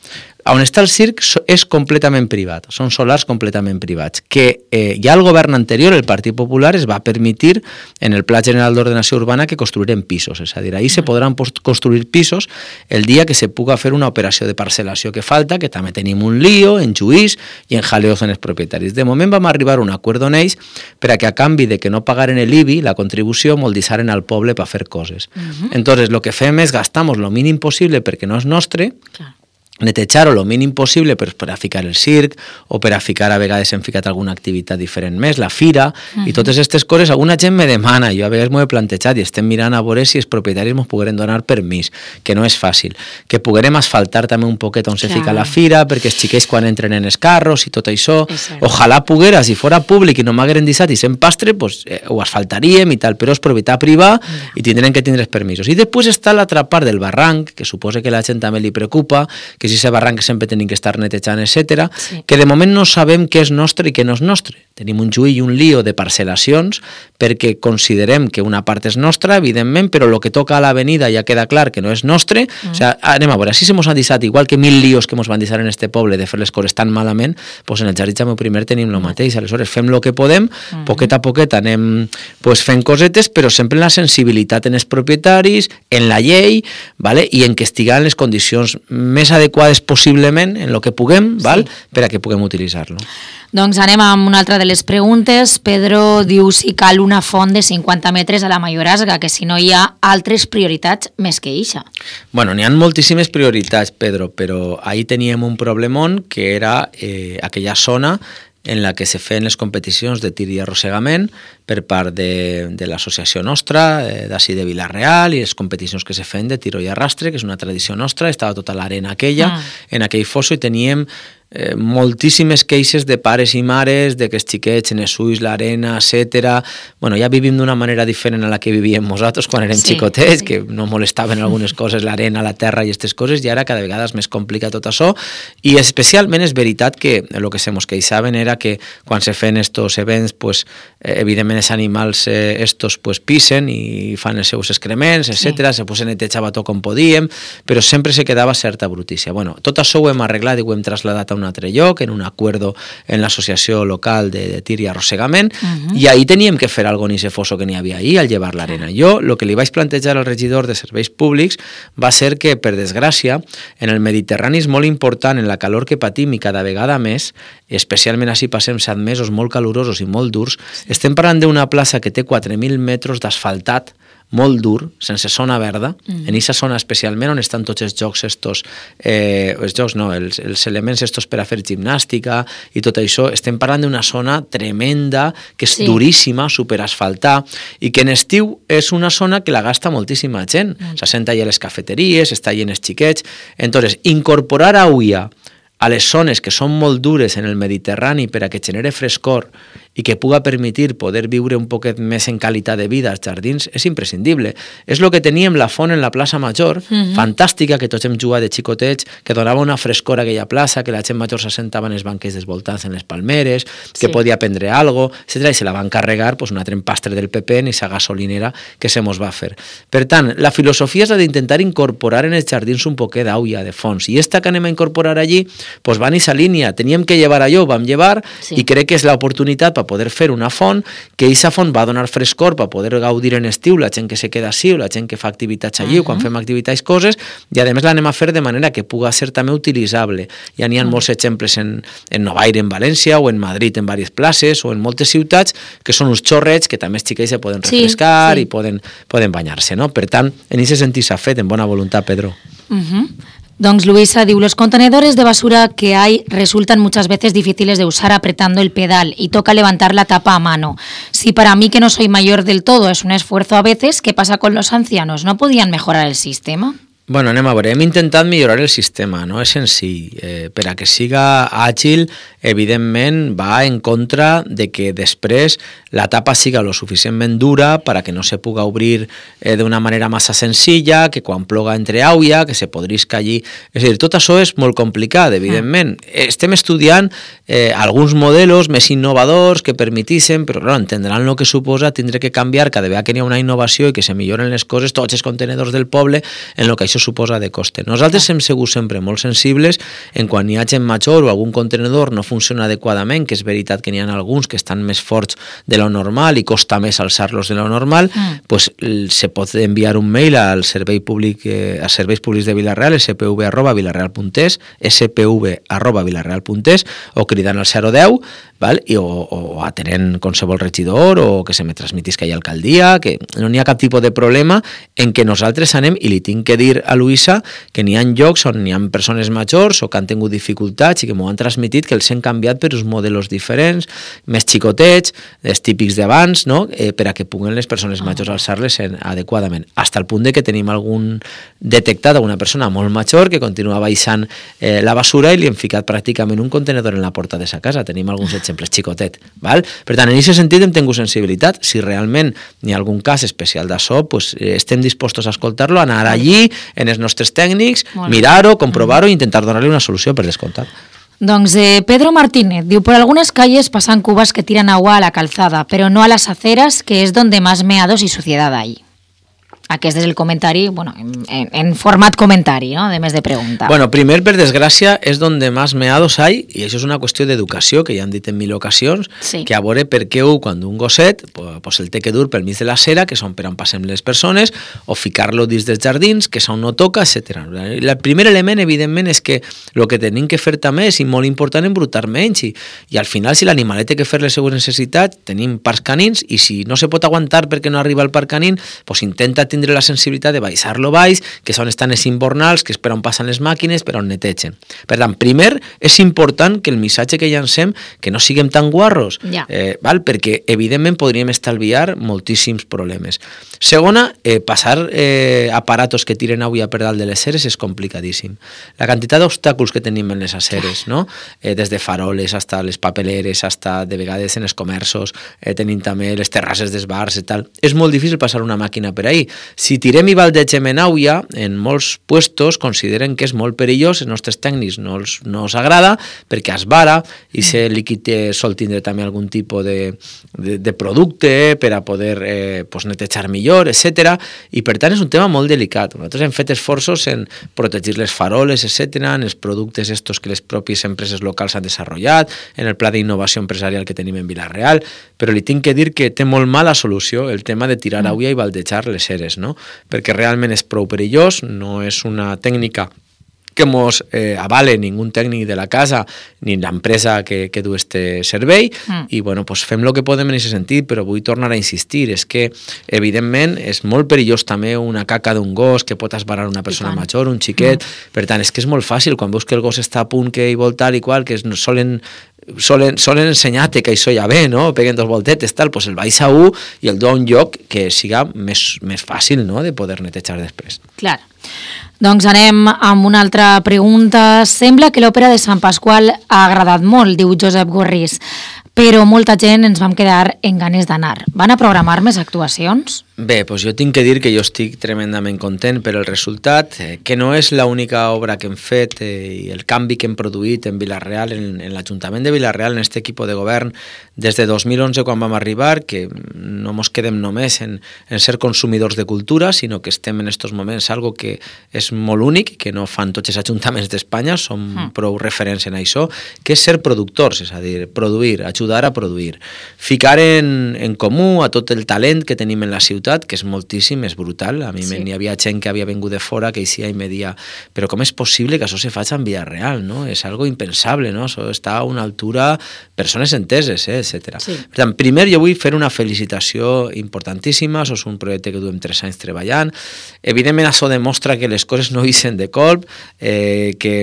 On està el circ és completament privat, són solars completament privats, que eh, ja el govern anterior, el Partit Popular, es va permetre en el Pla General d'Ordenació Urbana que construirem pisos, és a dir, ahí se podran construir pisos el dia que se puga fer una operació de parcel·lació que falta, que també tenim un lío en Lluís i en jaleos en els propietaris. De moment vam arribar a un acord on ells per a que a canvi de que no pagaren l'I B I, la contribució, moldissaren al poble per fer coses. Uh-huh. Entonces, lo que fem és gastamos lo mínim possible perquè no és nostre, clar, netejar-ho el mínim possible per, per a ficar el circ o per a ficar, a vegades hem ficat alguna activitat diferent més, la fira, uh-huh, i totes aquestes coses. Alguna gent me demana, jo a vegades m'ho he plantejat i estem mirant a veure si els propietaris ens pogueren donar permís, que no és fàcil, que poguerem asfaltar també un poquet on se fica la fira, perquè els xiquets quan entren en els carros i tot això, ojalà poguera, si fora públic i no m'hagueren deixat i sent pastre, pues, eh, ho asfaltaríem i tal, però és propietat privada i tindrem que tindre els permisos. I després està l'altra part del barranc, que suposa que la gent també li preocupa, que si ese barranc sempre tenim que estar netejant, etcètera, sí, que de moment no sabem què és nostre i què no és nostre. Tenim un juí i un lío de parcel·lacions perquè considerem que una part és nostra, evidentment, però el que toca a l'avenida ja queda clar que no és nostre. Mm. O sigui, anem a veure, si se mos han deixat, igual que mil líos que mos van deixar en este poble de fer les coses tan malament, doncs en el jardí Jaume primer tenim el mateix. Aleshores fem el que podem, mm, poquet a poquet anem pues, fent cosetes, però sempre en la sensibilitat en els propietaris, en la llei, vale? I en que estiguen les condicions més adequades possiblement en el que puguem, val? Sí, per a que puguem utilitzar-lo. Doncs anem amb una altra de les preguntes. Pedro diu si cal una font de cinquanta metres a la Mayorazga, que si no hi ha altres prioritats més que eixa. Bueno, n'hi ha moltíssimes prioritats, Pedro, però ahí teníem un problemón que era eh, aquella zona en la que se feien les competicions de tir i arrossegament per part de, de l'associació nostra, eh, d'ací de Vila-real, i les competicions que se feien de tiro i arrastre, que és una tradició nostra, estava tota l'arena aquella, ah. en aquell fosso, i teníem eh, moltíssimes queixes de pares i mares, de que els xiquets en els ulls, l'arena, etcètera. Bueno, ja vivim d'una manera diferent a la que vivíem nosaltres quan érem sí, xicotets, sí, que no molestaven algunes coses, l'arena, la terra i aquestes coses, i ara cada vegada és més complicat tot això, i especialment és veritat que el que se mos queixaven era que quan se feien estos events, pues, eh, evidentment els animals eh, estos pues, pisen i fan els seus excrements, etcètera. Sí. Se pues, netejava tot com podíem, però sempre se quedava certa brutícia. Bueno, tot això ho hem arreglat i ho hem traslladat a un altre lloc, en un acuerdo en l'associació local de, de tir i arrossegament, uh-huh, i ahí teníem que fer alguna cosa en ese fosso que n'hi havia ahí al llevar l'arena. Jo, el que li vaig plantejar al regidor de serveis públics va ser que, per desgràcia, en el Mediterrani és molt important, en la calor que patim i cada vegada més, especialment així passem set mesos molt calurosos i molt durs, estem parlant d'una plaça que té quatre mil metres d'asfaltat, molt dur, sense zona verda, mm. en aquesta zona especialment on estan tots els jocs estos, eh, els jocs no, els, els elements estos per a fer gimnàstica i tot això, estem parlant d'una zona tremenda, que és sí, duríssima, superasfaltar, i que en estiu és una zona que la gasta moltíssima gent, mm. s'assenta allà a les cafeteries, està allà en els xiquets. Entonces, incorporar auia a les zones que són molt dures en el Mediterrani per a que genere frescor i que puga permetir poder viure un poquet més en qualitat de vida als jardins és imprescindible. És el que teníem la font en la plaça Major, mm-hmm. fantàstica, que tots hem jugat de xicotets, que donava una frescor a aquella plaça, que la gent major s'assentava en els banquets desvoltats en les palmeres, que sí. podia prendre algo, etcètera, i se la van carregar pues, un altre empastre del P P en aquesta gasolinera que se mos va fer. Per tant, la filosofia és la d'intentar incorporar en els jardins un poquet d'aulla, de fons, i esta que anem a incorporar allí, pues va en aquesta línia, teníem que llevar allò, ho vam llevar, sí. i crec que és l'oportunitat per poder fer una font, que aquesta font va donar frescor per poder gaudir en estiu, la gent que se queda així, o la gent que fa activitats allí, uh -huh. o quan fem activitats coses, i a més l'anem a fer de manera que puga ser també utilitzable. Ja n'hi ha uh -huh. molts exemples en, en Novaire, en València, o en Madrid, en diverses places, o en moltes ciutats, que són uns xorrets que també els xiquets se poden refrescar sí, sí. i poden, poden banyar-se, no? Per tant, en aquest sentit s'ha fet, en bona voluntat, Pedro. Uh -huh. Doncs Luisa diu, los contenedores de basura que hay resultan muchas veces difíciles de usar apretando el pedal y toca levantar la tapa a mano. Si para mí, que no soy mayor del todo, es un esfuerzo a veces, ¿qué pasa con los ancianos? ¿No podían mejorar el sistema? Bueno, anem a veure, hem intentat millorar el sistema, no és senzill. Eh, per a que siga àgil, evidentment va en contra de que després la tapa siga lo suficientment dura per a que no se puga obrir eh, d'una manera massa senzilla, que quan ploga entre aulla, que se podrisca allí. És a dir, tot això és molt complicat, evidentment. Mm. Estem estudiant eh, alguns modelos més innovadors que permetixen, però clar, entendran el que suposa tindre que canviar cada vegada que hi ha una innovació i que se milloren les coses, tots els contenedors del poble, en el que això suposa de coste. Nosaltres hem sigut sempre molt sensibles en quan hi ha gent major o algun contenedor no funciona adequadament, que és veritat que n'hi ha alguns que estan més forts de lo normal i costa més alçar-los de lo normal, mm. pues se pot enviar un mail al servei públic, eh, a serveis públics de Vila-real, s p v arroba vilareal punt es, s p v arroba vilareal punt es, o cridant al zero deu, val? I, o, o atenent qualsevol regidor, o que se me transmitís que hi ha alcaldia, que no n'hi ha cap tipus de problema en què nosaltres anem, i li tinc que dir a Luisa que n'hi ha llocs on n'hi ha persones majors o que han tingut dificultats i que m'ho han transmitit que els han canviat per uns modelos diferents, més xicotets, els típics d'abans, no? eh, per a que puguen les persones majors alçar-les adequadament. Hasta el punt de que tenim algun detectat alguna persona molt major que continua baixant eh, la basura i li hem ficat pràcticament un contenedor en la porta de sa casa. Tenim alguns exemples xicotet. Val? Per tant, en aquest sentit hem tingut sensibilitat. Si realment hi ha algun cas especial d'això, pues, eh, estem dispostos a escoltar-lo, anar allí, en els nostres tècnics, mirar-ho, comprovar-ho i intentar donar-li una solució, per descomptat. Doncs eh, Pedro Martínez diu, por algunas calles pasan cubas que tiran agua a la calzada, pero no a las aceras, que es donde más meados y suciedad hay. Aquest és el comentari, bueno, en, en format comentari, no?, de més de pregunta. Bueno, primer, per desgràcia, és donde más meados hay, i això és una qüestió d'educació, que ja han dit en mil ocasions, sí. que a veure per què ho, quan un gosset, pues el té que dur pel mig de la cera, que és on per on passem les persones, o ficar-lo dins dels jardins, que és on no toca, etcètera. El primer element, evidentment, és que el que tenim que fer també és, i molt important, embrutar menys, i, i al final, si l'animalet té que fer les seues necessitats, tenim parcs canins, i si no se pot aguantar perquè no arriba al parc canín, pues intenta tindre la sensibilitat de baixar-lo baix, que és on estan els invernals, que és per on passen les màquines, per on netegen. Per tant, primer, és important que el missatge que llancem, que no siguem tan guarros, ja. eh, val? Perquè evidentment podríem estalviar moltíssims problemes. Segona, eh, passar eh, aparatos que tiren aigua per dalt de les aceres és complicadíssim. La quantitat d'obstàculs que tenim en les aceres, no? eh, des de faroles hasta les papeleres, hasta de vegades en els comerços, eh, tenim també les terrasses dels bars i tal. És molt difícil passar una màquina per ahí. Si tirem i baldegem en aigua, en molts puestos consideren que és molt perillós, els nostres tècnics no els, no els agrada, perquè esvara, i aquest líquid sol tindre també algun tipus de, de, de producte per a poder eh, pues netejar millor, etcètera. I per tant és un tema molt delicat. Nosaltres hem fet esforços en protegir les faroles, etcètera, en els productes estos que les pròpies empreses locals han desenvolupat, en el pla d'innovació empresarial que tenim en Vila-real, però li tinc que dir que té molt mala solució el tema de tirar aigua i baldejar les eres, no? Perquè realment és prou perillós, no és una tècnica que mos eh, avale ningú tècnic de la casa ni l'empresa que, que du este servei mm. i bueno, pues fem el que podem en aquest sentit, però vull tornar a insistir, és que evidentment és molt perillós també una caca d'un gos que pot esbarar una persona major, un xiquet, mm. per tant és que és molt fàcil, quan veus que el gos està a punt que hi vol tal i qual, que solen solen, solen ensenyar-te que això ja ve, no? Peguen dos voltetes, tal, pues el baix a un i el du a un lloc que siga més, més fàcil, no?, de poder netejar després. Clar. Doncs anem amb una altra pregunta. Sembla que l'òpera de Sant Pasqual ha agradat molt, diu Josep Gorrís. però molta gent ens vam quedar en ganes d'anar. Van a programar més actuacions? Bé, doncs jo tinc que dir que jo estic tremendament content per el resultat, eh, que no és l'única obra que hem fet eh, i el canvi que hem produït en Vila-real, en, en l'Ajuntament de Vila-real, en aquest equip de govern, des de dos mil onze quan vam arribar, que no ens quedem només en, en ser consumidors de cultura, sinó que estem en aquests moments algo que és molt únic, que no fan tots els ajuntaments d'Espanya, som mm. prou referents en això, que és ser productors, és a dir, produir, ajudar a produir. Ficar en, en comú a tot el talent que tenim en la ciutat, que és moltíssim, és brutal. A mi sí. N'hi havia gent que havia vingut de fora que eixia i me dia, però com és possible que això se faci en Vila-real, no? És algo impensable, no? Això està a una altura, persones enteses, eh, etcètera. Sí. Per tant, primer jo vull fer una felicitació importantíssima, això és un projecte que duem tres anys treballant. Evidentment, això demostra que les coses no ixen de colp, eh, que,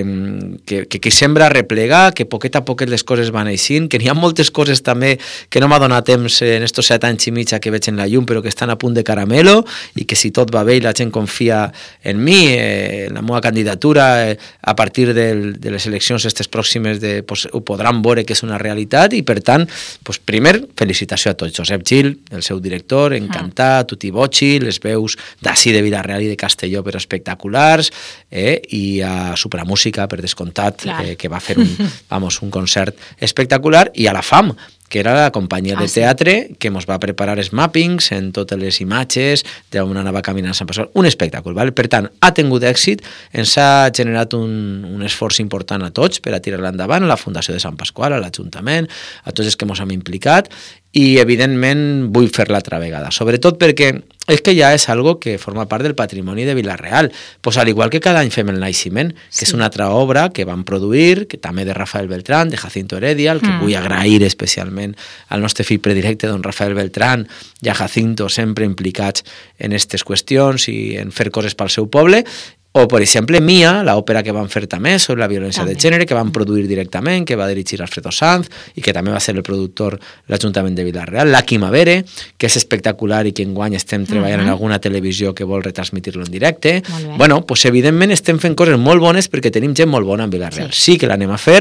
que, que, que sembra replegar, que poquet a poquet les coses van eixint, que n'hi ha moltes coses també que no m'ha donat temps en estos set anys i mig que veig en la llum, però que estan a punt de caramelo i que si tot va bé i la gent confia en mi, eh, en la meva candidatura, eh, a partir del, de les eleccions aquestes pròximes de, pues, ho podran veure que és una realitat i per tant, pues, primer, felicitació a tots. Josep Gil, el seu director, encantat, ah. Tuti Bocci, les veus d'ací de Vila-real i de Castelló però espectaculars, eh, i a Supramúsica, per descomptat, eh, que va fer un, vamos, un concert espectacular, i a la FAM, que era la companyia de teatre ah, sí. que ens va preparar els mappings en totes les imatges d'on anava caminant Sant Pasqual. Un espectacle, ¿vale? Per tant, ha tingut èxit, ens ha generat un, un esforç important a tots per a tirar-la endavant, a la Fundació de Sant Pasqual, a l'Ajuntament, a tots els que ens hem implicat, i evidentment vull fer-la altra vegada, sobretot perquè és que ja és algo que forma part del patrimoni de Vila-real, pues al igual que cada any fem el Naixement, que sí. és una altra obra que vam produir, que també de Rafael Beltrán, de Jacinto Heredia, el que mm. vull agrair especialment al nostre fill predilecte, don Rafael Beltrán, i a Jacinto, sempre implicats en aquestes qüestions i en fer coses pel seu poble. O, per exemple, Mia, l'òpera que van fer també sobre la violència també. de gènere, que van produir directament, que va dirigir Alfredo Sanz i que també va ser el productor de l'Ajuntament de Vila-real. La Quimavere, que és espectacular i que enguany estem treballant uh-huh. en alguna televisió que vol retransmitir-lo en directe. Bueno, pues evidentment estem fent coses molt bones perquè tenim gent molt bona en Vila-real. Sí. sí que l'anem a fer,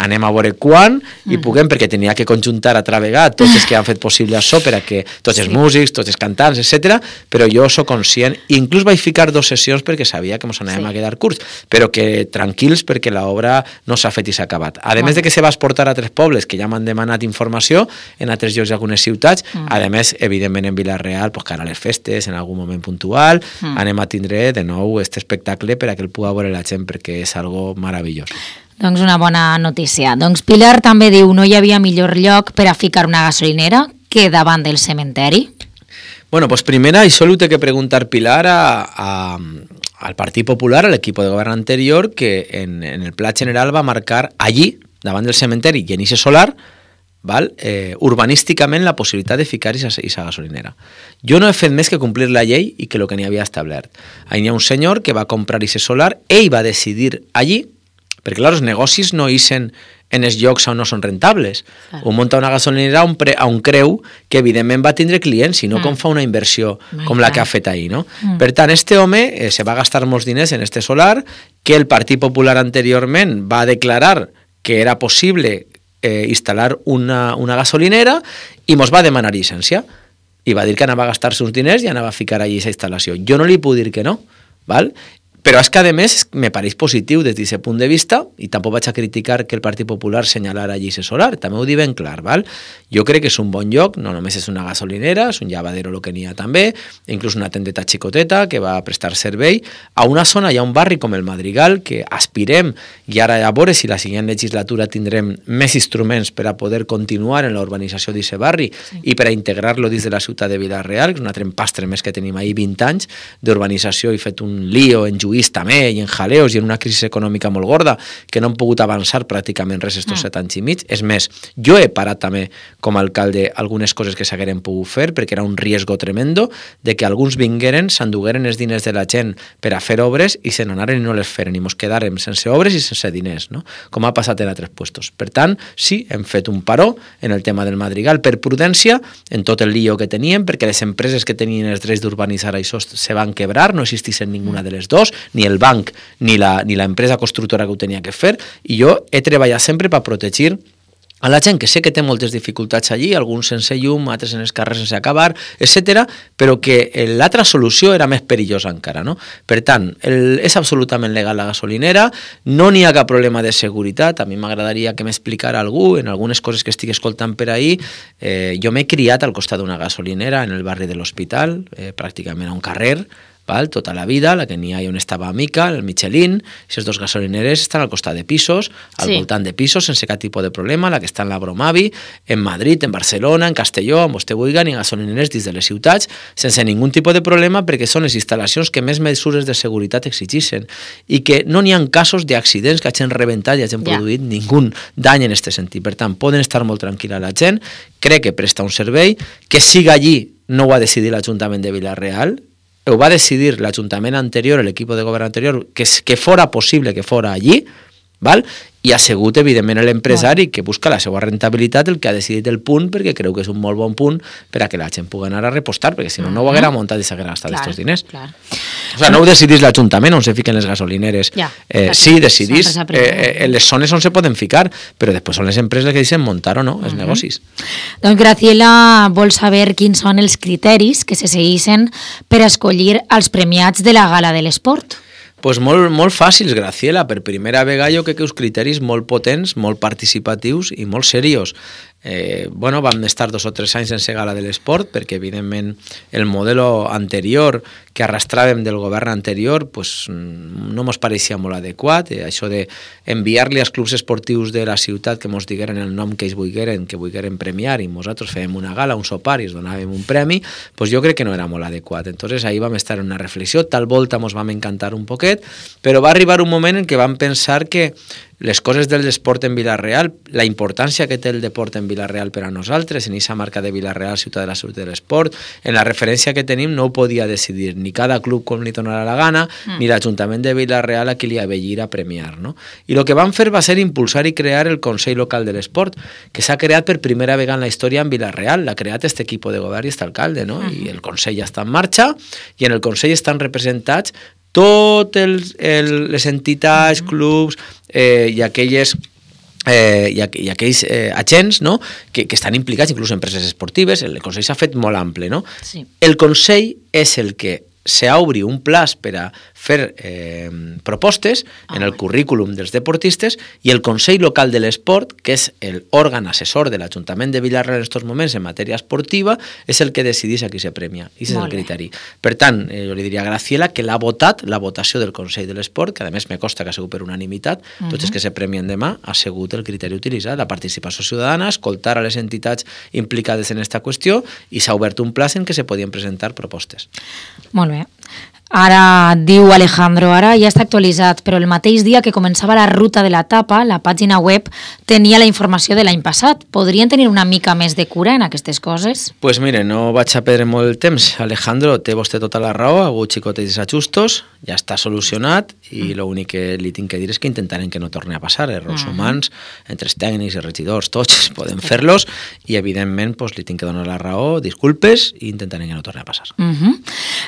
anem a veure quan uh-huh. i puguem, perquè tenia que conjuntar a travegar tots els que han fet possible això per a que tots els sí. músics, tots els cantants, etcètera. Però jo soc conscient, i inclús vaig ficar dos sessions perquè sabia que ens anàvem sí. a quedar curts, però que tranquils perquè l'obra no s'ha fet i s'ha acabat. A més de que se va exportar a tres pobles que ja m'han demanat informació en altres llocs d'algunes ciutats, mm. a més, evidentment en Vila-real, pues, cara a les festes, en algun moment puntual, mm. anem a tindre de nou aquest espectacle per a que el pugui veure la gent perquè és algo meravellós. Doncs una bona notícia. Doncs Pilar també diu no hi havia millor lloc per a ficar una gasolinera que davant del cementeri. Bueno, pues primera, això ho té que preguntar Pilar a, a, al Partit Popular, al equip de govern anterior, que en, en el pla general va marcar allí, davant del cementeri i en ixe solar, val? Eh, urbanísticament la possibilitat de ficar aquesta gasolinera. Jo no he fet més que complir la llei i que el que n'hi havia establert. Ahí hi ha un senyor que va comprar aquest solar, ell va decidir allí, perquè clar, els negocis no ixen en els llocs on no són rentables. Clar. Un munta una gasolinera on, pre, on creu que evidentment va tindre clients, sinó mm. com fa una inversió My com God. la que ha fet ahir. No? Mm. Per tant, este home eh, se va gastar molts diners en este solar, que el Partit Popular anteriorment va declarar que era possible eh, instal·lar una, una gasolinera i mos va demanar llicència. I va dir que anava a gastar-se uns diners i anava a ficar allí aquesta instal·lació. Jo no li puc dir que no, val? Però és que, a més, me pareix positiu des d'aquest punt de vista, i tampoc vaig a criticar que el Partit Popular senyalara allí ese solar, també ho dic ben clar, val? Jo crec que és un bon lloc, no només és una gasolinera, és un lavadero el que n'hi ha també, inclús una tendeta xicoteta que va prestar servei a una zona, hi ha un barri com el Madrigal, que aspirem, i ara a veure si la següent legislatura tindrem més instruments per a poder continuar en la urbanització d'aquest barri sí. i per a integrar-lo dins de la ciutat de Vila-real, que és un altre empastre més que tenim ahir vint anys d'urbanització i fet un lío en també, i en jaleos, i en una crisi econòmica molt gorda, que no han pogut avançar pràcticament res estos mm. set anys i mig. És més, jo he parat també, com a alcalde, algunes coses que s'hagueren pogut fer, perquè era un riesgo tremendo de que alguns vingueren, s'endugueren els diners de la gent per a fer obres i se n'anaren i no les feren, i mos quedàrem sense obres i sense diners, no? Com ha passat en altres puestos. Per tant, sí, hem fet un paró en el tema del Madrigal per prudència, en tot el lío que teníem, perquè les empreses que tenien els drets d'urbanitzar això se van quebrar, no existissin ninguna de les dos, ni el banc ni la, ni la empresa constructora que ho tenia que fer, i jo he treballat sempre per protegir a la gent que sé que té moltes dificultats allí, alguns sense llum, altres en els carrers sense acabar, etcètera, però que l'altra solució era més perillosa encara, no? Per tant, el, és absolutament legal la gasolinera, no n'hi ha cap problema de seguretat, a mi m'agradaria que m'explicara algú, en algunes coses que estic escoltant per ahir, eh, jo m'he criat al costat d'una gasolinera en el barri de l'Hospital, eh, pràcticament a un carrer, val? Tota la vida, la que n'hi ha on estava Mica, el Michelin, aquestes dos gasolineres estan al costat de pisos, al sí. voltant de pisos, sense cap tipus de problema, la que està en la Bromavi, en Madrid, en Barcelona, en Castelló, on vostè vulgui, i gasolineres dins de les ciutats, sense ningú tipus de problema, perquè són les instal·lacions que més mesures de seguretat exigeixen, i que no n'hi ha casos d'accidents que hagin rebentat i hagin ja. produït ningú dany en aquest sentit. Per tant, poden estar molt tranquil·la la gent, crec que presta un servei, que siga allí no ho ha decidit l'Ajuntament de Vila-real, ho va decidir l'Ajuntament anterior, l'equip de govern anterior, que, que fora possible que fora allí, val? I ha sigut, evidentment, l'empresari que busca la seva rentabilitat el que ha decidit el punt, perquè creu que és un molt bon punt per a que la gent pugui anar a repostar, perquè si no, no ho haguera muntat i s'haguera gastat aquests diners. Clar. O sigui, no ho decidís l'Ajuntament on se fiquen les gasolineres. Ja, eh, sí, decidís eh, en les zones on se poden ficar, però després són les empreses que deixen muntar o no els uh-huh. negocis. Doncs Graciela vol saber quins són els criteris que se segueixen per escollir els premiats de la Gala de l'Esport. Pues molt, molt fàcils, Graciela. Per primera vegada jo crec que uns criteris molt potents, molt participatius i molt serios. Eh, bueno, vam estar dos o tres anys sense Gala de l'Esport perquè, evidentment, el model anterior que arrastràvem del govern anterior pues, no ens pareixia molt adequat. Eh, això d'enviar-li als clubs esportius de la ciutat que ens digueren el nom que ells volgueren, que volgueren premiar, i nosaltres fèiem una gala, un sopar i es donàvem un premi, pues jo crec que no era molt adequat. Entonces ahí vam estar en una reflexió, tal volta ens vam encantar un poquet, però va arribar un moment en què vam pensar que les coses del esport en Vila-real, la importància que té el deport en Vila-real per a nosaltres, en aquesta marca de Vila-real, ciutat de la salut de l'esport, en la referència que tenim no ho podia decidir ni cada club com li donarà la gana, mm. ni l'Ajuntament de Vila-real a qui li avellir a premiar. No? I el que vam fer va ser impulsar i crear el Consell Local de l'Esport, que s'ha creat per primera vegada en la història en Vila-real, l'ha creat este equip de govern i este alcalde, no? Mm. I el Consell ja està en marxa, i en el Consell estan representats totes les entitats, clubs eh, i aquelles eh, i, aqu i aquells eh, agents no? que, que estan implicats, inclús empreses esportives. El Consell s'ha fet molt ample. No? Sí. El Consell és el que s'obri un plaç per a fer eh, propostes oh, en el currículum dels deportistes, i el Consell Local de l'Esport, que és l'òrgan assessor de l'Ajuntament de Vila-real en aquests moments en matèria esportiva, és el que decidís a qui se premia. I és el criteri. Per tant, eh, jo li diria a Graciela que l'ha votat, la votació del Consell de l'Esport, que a més me costa que ha sigut per unanimitat, uh -huh. tots els que se premien demà, ha sigut el criteri utilitzat, la participació ciutadana, escoltar a les entitats implicades en aquesta qüestió, i s'ha obert un plaç en què se podien presentar propostes. Molt bé. Ara, diu Alejandro, ara ja està actualitzat, però el mateix dia que començava la ruta de l'etapa, la pàgina web tenia la informació de l'any passat. Podrien tenir una mica més de cura en aquestes coses? Doncs pues mire, no vaig a perdre molt temps. Alejandro, té vostè tota la raó, ha hagut xicotets ajustos, ja està solucionat, i mm. l'únic que li tinc que dir és que intentarem que no torni a passar. Errors mm. humans, entre els tècnics i regidors, tots podem fer-los, i evidentment pues, li tinc que donar la raó, disculpes, i intentarem que no torni a passar. Mm -hmm.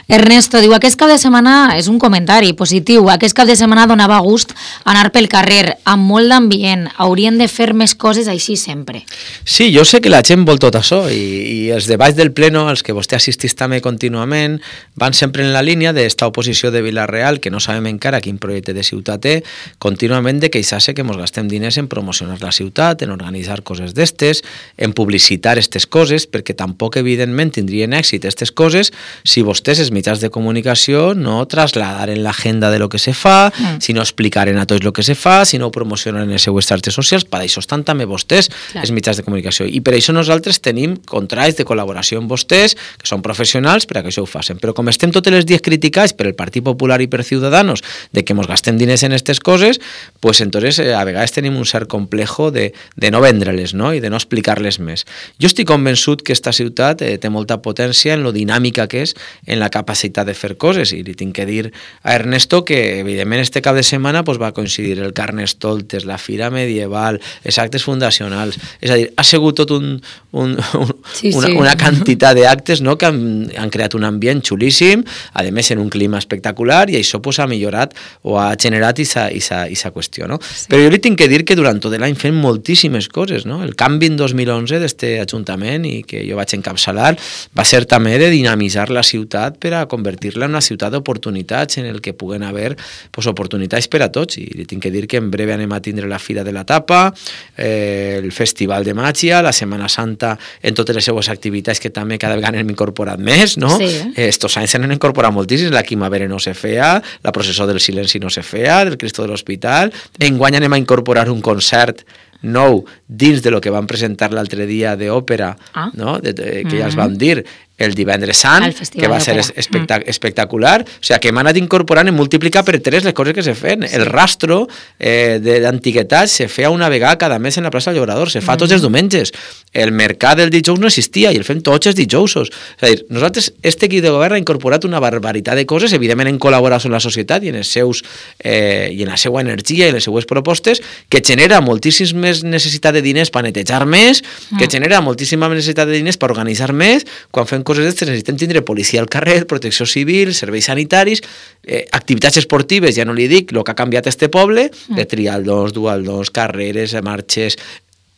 Ernesto diu, aquest cap de setmana és un comentari positiu. Aquest cap de setmana donava gust anar pel carrer, amb molt d'ambient. Haurien de fer més coses així sempre. Sí, jo sé que la gent vol tot això, i, i els debats del pleno, als que vostè assistís també contínuament, van sempre en la línia d'esta oposició de Vila-real, que no sabem encara quin projecte de ciutat té, contínuament de queixar-se que ens gastem diners en promocionar la ciutat, en organitzar coses d'estes, en publicitar aquestes coses, perquè tampoc, evidentment, tindrien èxit aquestes coses si vostès, els mitjans de comunicació, no trasladaren l'agenda de lo que se fa, mm. si no explicaren a tots lo que se fa, si no ho promocionen en les seues xarxes socials. Per això estan també vostès, clar, els mitjans de comunicació. I per això nosaltres tenim contrats de col·laboració amb vostès, que són professionals, per a que això ho facin. Però com estem tots els dies criticats per el Partit Popular i per Ciudadanos de que ens gastem diners en aquestes coses, pues entonces eh, a vegades tenim un cert complejo de, de no vendre-les, no? I de no explicar-les més. Jo estic convençut que esta ciutat eh, té molta potència en lo dinàmica que és, en la capacitat de fer coses, coses, i li tinc que dir a Ernesto que, evidentment, este cap de setmana pues, va coincidir el Carnestoltes, la Fira Medieval, els actes fundacionals, és a dir, ha sigut tot un, un, un, sí, una, sí. una quantitat d'actes, no?, que han, han creat un ambient xulíssim, a més en un clima espectacular, i això pues, ha millorat o ha generat aquesta qüestió. No? Sí. Però jo li tinc que dir que durant tot l'any fem moltíssimes coses. No? El canvi en dos mil onze d'este Ajuntament, i que jo vaig encapçalar, va ser també de dinamitzar la ciutat per a convertir-la en una ciutat d'oportunitats en el que puguen haver pues, oportunitats per a tots. I li tinc que dir que en breu anem a tindre la Fira de la Tapa, eh, el Festival de Màgia, la Setmana Santa en totes les seues activitats que també cada vegada hem incorporat més. No? Sí. Eh, estos anys s'han incorporat moltíssims, la Quimavera no se feia, la processó del silenci no se feia, del Cristo de l'Hospital. Enguany anem a incorporar un concert nou dins de lo que van presentar l'altre dia d'òpera, ah. no? de, de, que mm-hmm. ja els vam dir, el divendres sant, que va ser espectac espectacular, o sigui, que hem anat incorporant i multiplicar per tres les coses que se feien. Sí. El rastro eh, d'antiguitats se feia una vegada cada mes en la plaça del Llobrador, se fa mm. tots els diumenges. El mercat del dijous no existia i el fem tots els dijousos. És a dir, nosaltres, este equip de govern ha incorporat una barbaritat de coses, evidentment en col·laboració amb la societat i en, els seus, eh, i en la seva energia i en les seues propostes, que genera moltíssims més necessitat de diners per netejar més, mm. que genera moltíssima necessitat de diners per organitzar més. Quan fem coses d'estes necessitem tindre policia al carrer, protecció civil, serveis sanitaris, eh, activitats esportives, ja no li dic, el que ha canviat este poble, mm. de trialdons, dualdons, carreres, marxes,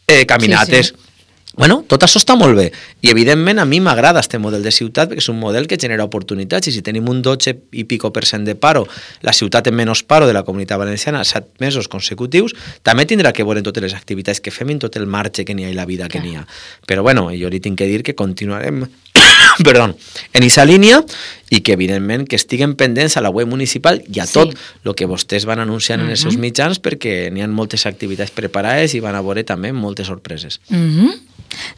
eh, caminates... Sí, sí. Bueno, tot això està molt bé i evidentment a mi m'agrada este model de ciutat perquè és un model que genera oportunitats i si tenim un dotze i pico per cent de paro, la ciutat en menys paro de la Comunitat Valenciana set mesos consecutius, també tindrà que veure en totes les activitats que fem i en tot el marge que n'hi ha i la vida que n'hi ha. Però bueno, jo li tinc que dir que continuarem perdó, en aquesta línia i que evidentment que estiguen pendents a la web municipal i a tot el sí. que vostès van anunciant uh-huh. en els seus mitjans perquè n'hi ha moltes activitats preparades i van a veure també moltes sorpreses. Uh-huh.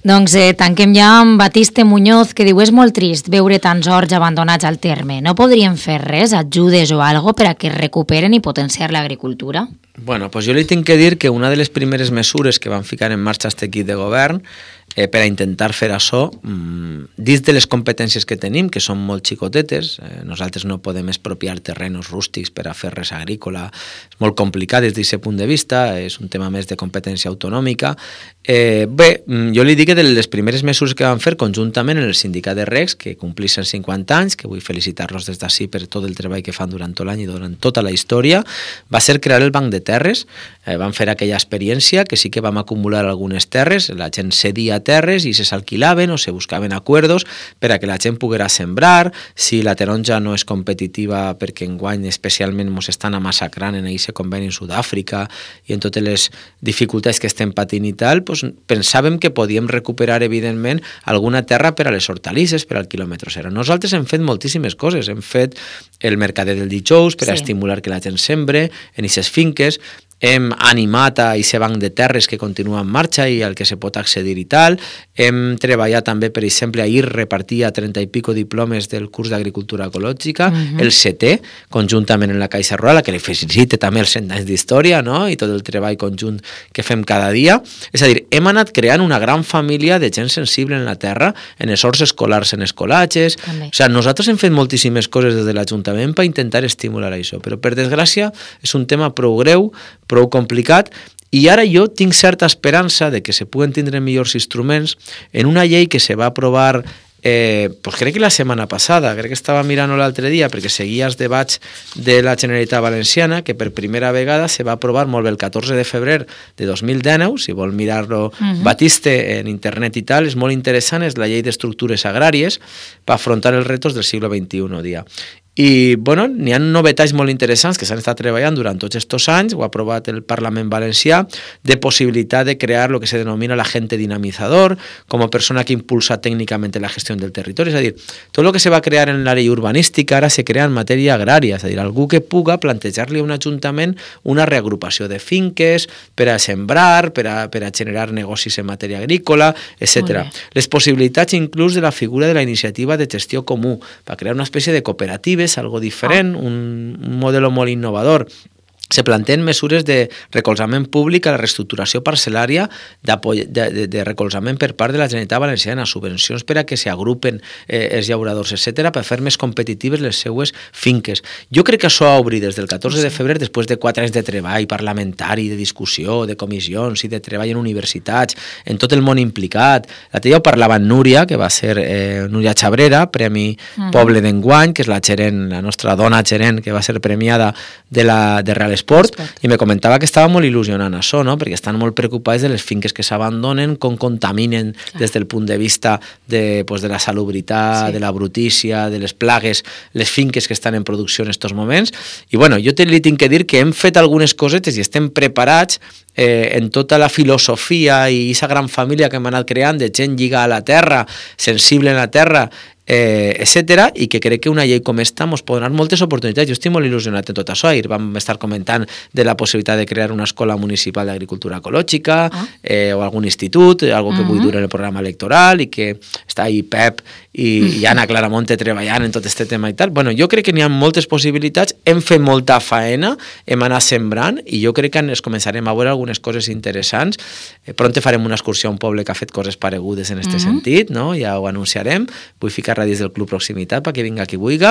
Doncs eh, tanquem ja amb Batiste Muñoz, que diu és molt trist veure tants horts abandonats al terme. No podrien fer res, ajudes o algo per a que recuperen i potenciar l'agricultura? Bueno, pues jo li tinc que dir que una de les primeres mesures que van ficar en marxa aquest equip de govern eh, per a intentar fer això, mmm, dins de les competències que tenim, que són molt xicotetes, eh, nosaltres no podem expropiar terrenos rústics per a fer res agrícola, és molt complicat des d'aquest punt de vista, és un tema més de competència autonòmica. Eh, bé, jo li dic que de les primeres mesures que van fer conjuntament en el sindicat de recs, que complixen cinquanta anys, que vull felicitar-los des d'ací per tot el treball que fan durant tot l'any i durant tota la història, va ser crear el Banc de Terres. Eh, van fer aquella experiència que sí que vam acumular algunes terres, la gent cedia terres i se s'alquilaven o se buscaven acuerdos per a que la gent poguera sembrar. Si la taronja no és competitiva perquè enguany especialment ens estan massacrant en aquest conveni en Sud-àfrica i en totes les dificultats que estem patint i tal, doncs pensàvem que podíem recuperar evidentment alguna terra per a les hortalisses, per al quilòmetre zero. Nosaltres hem fet moltíssimes coses, hem fet el mercader del dijous per a sí. estimular que la gent sembre en aquestes finques, hem animat a aquest banc de terres que continua en marxa i al que se pot accedir i tal. Hem treballat també, per exemple, ahir repartia trenta i pico diplomes del curs d'agricultura ecològica, uh-huh. el setè, conjuntament en la Caixa Rural, que li felicite també els cent anys d'història, no? I tot el treball conjunt que fem cada dia. És a dir, hem anat creant una gran família de gent sensible en la terra, en els horts escolars, en escolatges. També. O sigui, nosaltres hem fet moltíssimes coses des de l'Ajuntament per intentar estimular això, però per desgràcia és un tema prou greu, prou complicat, i ara jo tinc certa esperança de que se puguen tindre millors instruments en una llei que se va aprovar eh, pues crec que la setmana passada, crec que estava mirant l'altre dia perquè seguia els debats de la Generalitat Valenciana, que per primera vegada se va aprovar molt bé el catorze de febrer de dos mil dinou, si vol mirar-lo uh-huh. Batiste en internet i tal, és molt interessant, és la llei d'estructures agràries per afrontar els retos del segle vint-i-u, dia. I, bueno, n'hi ha novetats molt interessants que s'han estat treballant durant tots aquests anys, ho ha aprovat el Parlament Valencià, de possibilitat de crear lo que se denomina l'agente dinamitzador, com a persona que impulsa tècnicament la gestió del territori. És a dir, tot el que se va crear en l'àrea urbanística ara se crea en matèria agrària, és a dir, algú que puga plantejar-li a un ajuntament una reagrupació de finques per a sembrar, per a, per a generar negocis en matèria agrícola, etcètera. Les possibilitats inclús de la figura de la iniciativa de gestió comú, per crear una espècie de cooperatives, algo diferent, un, un model molt innovador. se planteen mesures de recolzament públic a la reestructuració parcel·lària de, de, de recolzament per part de la Generalitat Valenciana, subvencions per a que s'agrupen eh, els llauradors, etcètera, per fer més competitives les seues finques. Jo crec que això ha obrit des del catorze de febrer, després de quatre anys de treball parlamentari, de discussió, de comissions i de treball en universitats, en tot el món implicat. L'altre dia ho parlava en Núria, que va ser eh, Núria Xabrera, Premi uh-huh. Poble d'enguany, que és la gerent, la nostra dona gerent, que va ser premiada de, la, de Real Esport, Esport, i me comentava que estava molt il·lusionant això, no? Perquè estan molt preocupats de les finques que s'abandonen, com contaminen Clar. Des del punt de vista de, pues, de la salubritat, sí. de la brutícia, de les plagues, les finques que estan en producció en aquests moments. I bueno, jo te li tinc que dir que hem fet algunes cosetes i estem preparats eh, en tota la filosofia i aquesta gran família que hem anat creant de gent lligada a la terra, sensible en la terra, Eh, etcètera, i que crec que una llei com esta ens pot donar moltes oportunitats. Jo estic molt il·lusionat en tot això. Ahir vam estar comentant de la possibilitat de crear una escola municipal d'agricultura ecològica ah. eh, o algun institut, algo que uh-huh. vull dur en el programa electoral, i que està ahí Pep i, uh-huh. i Anna Claramonte treballant en tot aquest tema i tal. Bueno, jo crec que n'hi ha moltes possibilitats, hem fet molta faena, hem anat sembrant, i jo crec que ens començarem a veure algunes coses interessants. Eh, pront farem una excursió a un poble que ha fet coses paregudes en aquest uh-huh. sentit, no? Ja ho anunciarem. Vull ficar dins del Club Proximitat perquè vinga qui vulgui,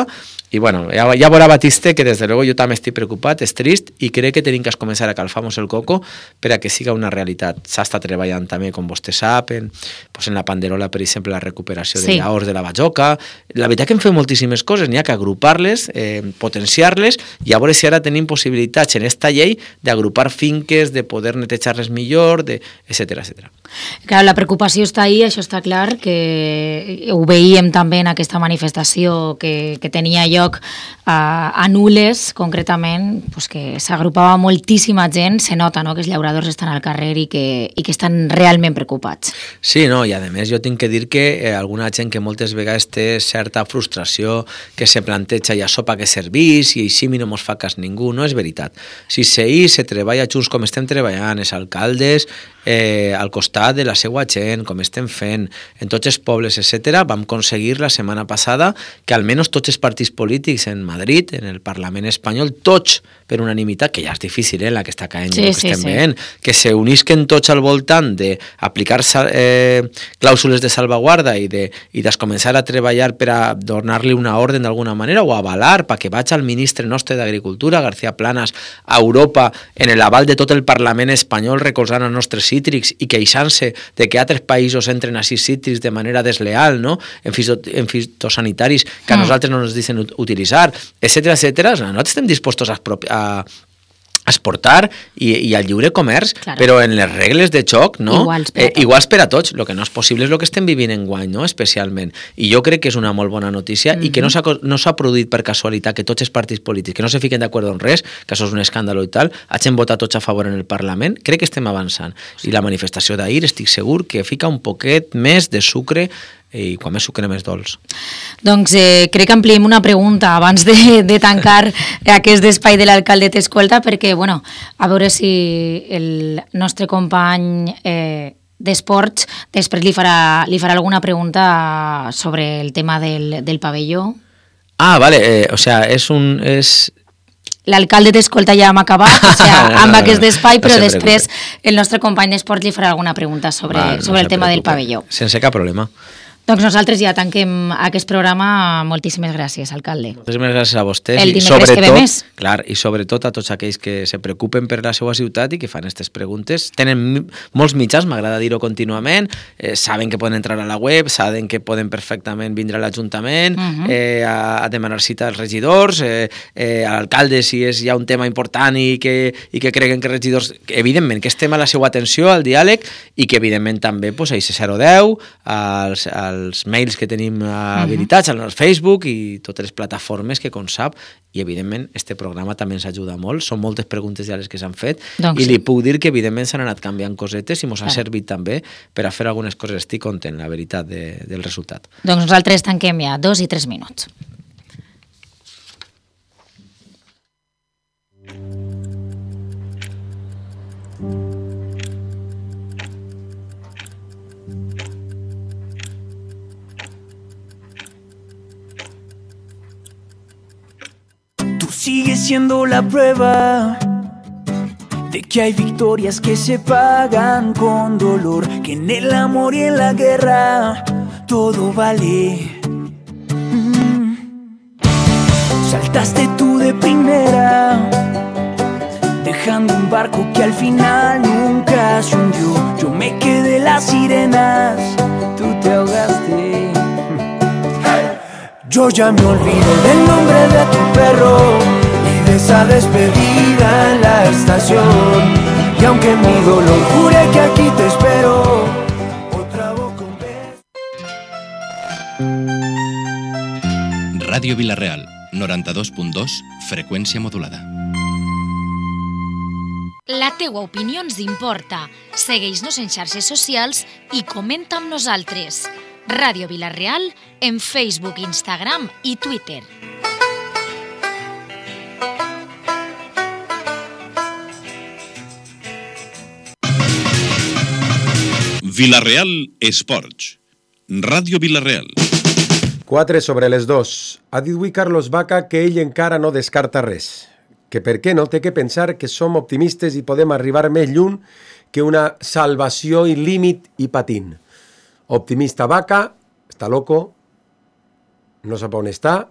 i bueno, ja, ja veurà Batiste que des de luego jo també estic preocupat, és trist, i crec que tenim que començar a calfar-nos el coco per a que siga una realitat. S'està treballant també, com vostè sap, en, pues en la Panderola, per exemple, la recuperació sí. de llaors de la Bajoca. La veritat que hem fet moltíssimes coses, n'hi ha que agrupar-les, eh, potenciar-les, i a veure si ara tenim possibilitats en esta llei d'agrupar finques, de poder netejar-les millor, de, etcètera, etcètera. Clar, la preocupació està ahí, això està clar, que ho veiem també en aquesta manifestació que, que tenia lloc a, a Nules, concretament, pues que s'agrupava moltíssima gent, se nota, no?, que els llauradors estan al carrer i que, i que estan realment preocupats. Sí, no, i a més jo tinc que dir que eh, alguna gent que moltes vegades té certa frustració, que se planteja i això pa que servís, i així no mos fa cas ningú, no és veritat. Si s'ahir se treballa junts com estem treballant, els alcaldes, eh, al costat de la seva gent, com estem fent, en tots els pobles, etcètera, vam aconseguir la setmana passada que almenys tots els partits polítics en Madrid, en el Parlament espanyol, tots per unanimitat, que ja és difícil, eh, la que està caent, sí, que sí, estem sí. veient, que se unisquen tots al voltant d'aplicar eh, clàusules de salvaguarda i de, i de començar a treballar per a donar-li una ordre d'alguna manera o avalar perquè vaig al ministre nostre d'Agricultura, García Planas, a Europa, en l'aval de tot el Parlament espanyol recolzant els nostres cítrics i queixant-se de que altres països entren a sis cítrics de manera desleal, no?, en, fito, en fitosanitaris que a nosaltres no ens deixen utilitzar, etcètera, etcètera. Nosaltres estem dispostos a, a exportar i, i al lliure comerç, claro. Però en les regles de joc, no? Iguals per, eh, iguals per a tots. El que no és possible és el que estem vivint enguany, no?, especialment. I jo crec que és una molt bona notícia mm-hmm. i que no s'ha, no s'ha produït per casualitat que tots els partits polítics, que no se fiquen d'acord en res, que això és un escàndol i tal, hagin votat tots a favor en el Parlament. Crec que estem avançant. Sí. I la manifestació d'ahir estic segur que fica un poquet més de sucre i quan més sucre més dolç. Doncs eh, crec que ampliem una pregunta abans de, de tancar aquest espai de l'alcalde t'escolta, perquè, bueno, a veure si el nostre company eh, d'esports després li farà, li farà alguna pregunta sobre el tema del, del pavelló. Ah, vale, eh, o sea, és un... És... L'alcalde t'escolta ja hem acabat, o sigui, amb aquest espai, però no després el nostre company d'esports li farà alguna pregunta sobre, Va, no sobre el tema preocupe. Del pavelló. Sense cap problema. Doncs nosaltres ja tanquem aquest programa. Moltíssimes gràcies, alcalde. Moltíssimes gràcies a vostès. El dimecres que ve més. Clar, i sobretot a tots aquells que se preocupen per la seva ciutat i que fan aquestes preguntes. Tenen molts mitjans, m'agrada dir-ho contínuament, eh, saben que poden entrar a la web, saben que poden perfectament vindre a l'Ajuntament, uh-huh. eh, a, a demanar cita als regidors, eh, eh, a l'alcalde si és ja un tema important i que, i que creguen que regidors... Evidentment, que estem a la seva atenció, al diàleg, i que evidentment també pues, a I C zero deu, als, als els mails que tenim habilitats, uh-huh. al Facebook i totes les plataformes que, com sap, i evidentment este programa també ens ajuda molt, són moltes preguntes ja les que s'han fet, doncs i sí. li puc dir que evidentment s'han anat canviant cosetes i ens ha servit també per a fer algunes coses. Estic content, la veritat, de, del resultat. Doncs nosaltres tanquem ja dos i tres minuts. Sigue siendo la prueba de que hay victorias que se pagan con dolor, que en el amor y en la guerra todo vale. Mm. Saltaste tú de primera, dejando un barco que al final nunca se hundió. Yo me quedé las sirenas, tú te ahogaste. Yo ya me olvidé del nombre de tu perro y de esa despedida en la estación. Y aunque mi dolor jure que aquí te espero, otra boca un beso. Ràdio Vila-real, noranta-dos punt dos, freqüència modulada. La teua opinió ens importa. Segueix-nos en xarxes socials i comenta amb nosaltres. Ràdio Vila-real en Facebook, Instagram i Twitter. Vila-real Esports. Ràdio Vila-real. quatre sobre les dos. Ha dit avui Carlos Vaca que ell encara no descarta res. Que per què no té que pensar que som optimistes i podem arribar més lluny que una salvació i límit i patint. Optimista Vaca, està loco, no sap on està,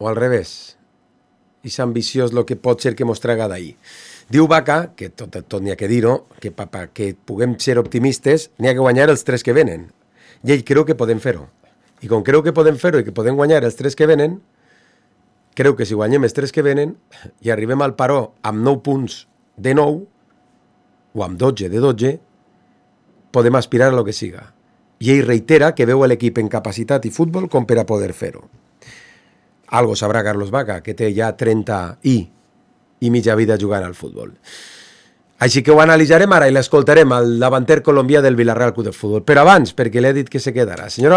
o al revés. I és ambiciós el que pot ser que mos traga d'ahir. Diu Vaca, que tot, tot n'hi ha que dir-ho, que per que puguem ser optimistes n'hi ha que guanyar els tres que venen. I ell creu que podem fer-ho. I com creu que podem fer-ho i que podem guanyar els tres que venen, creu que si guanyem els tres que venen i arribem al paró amb nou punts de nou, o amb dotze de dotze, podem aspirar a lo que siga. I ell reitera que veu l'equip en capacitat i futbol com per a poder fer-ho. Algo sabrà Carlos Vaca, que té ja trenta i, i mitja vida jugant al futbol. Així que ho analitzarem ara i l'escoltarem al davanter colombià del Villarreal Club de Futbol. Però abans, perquè l'he dit que se quedarà. Senyora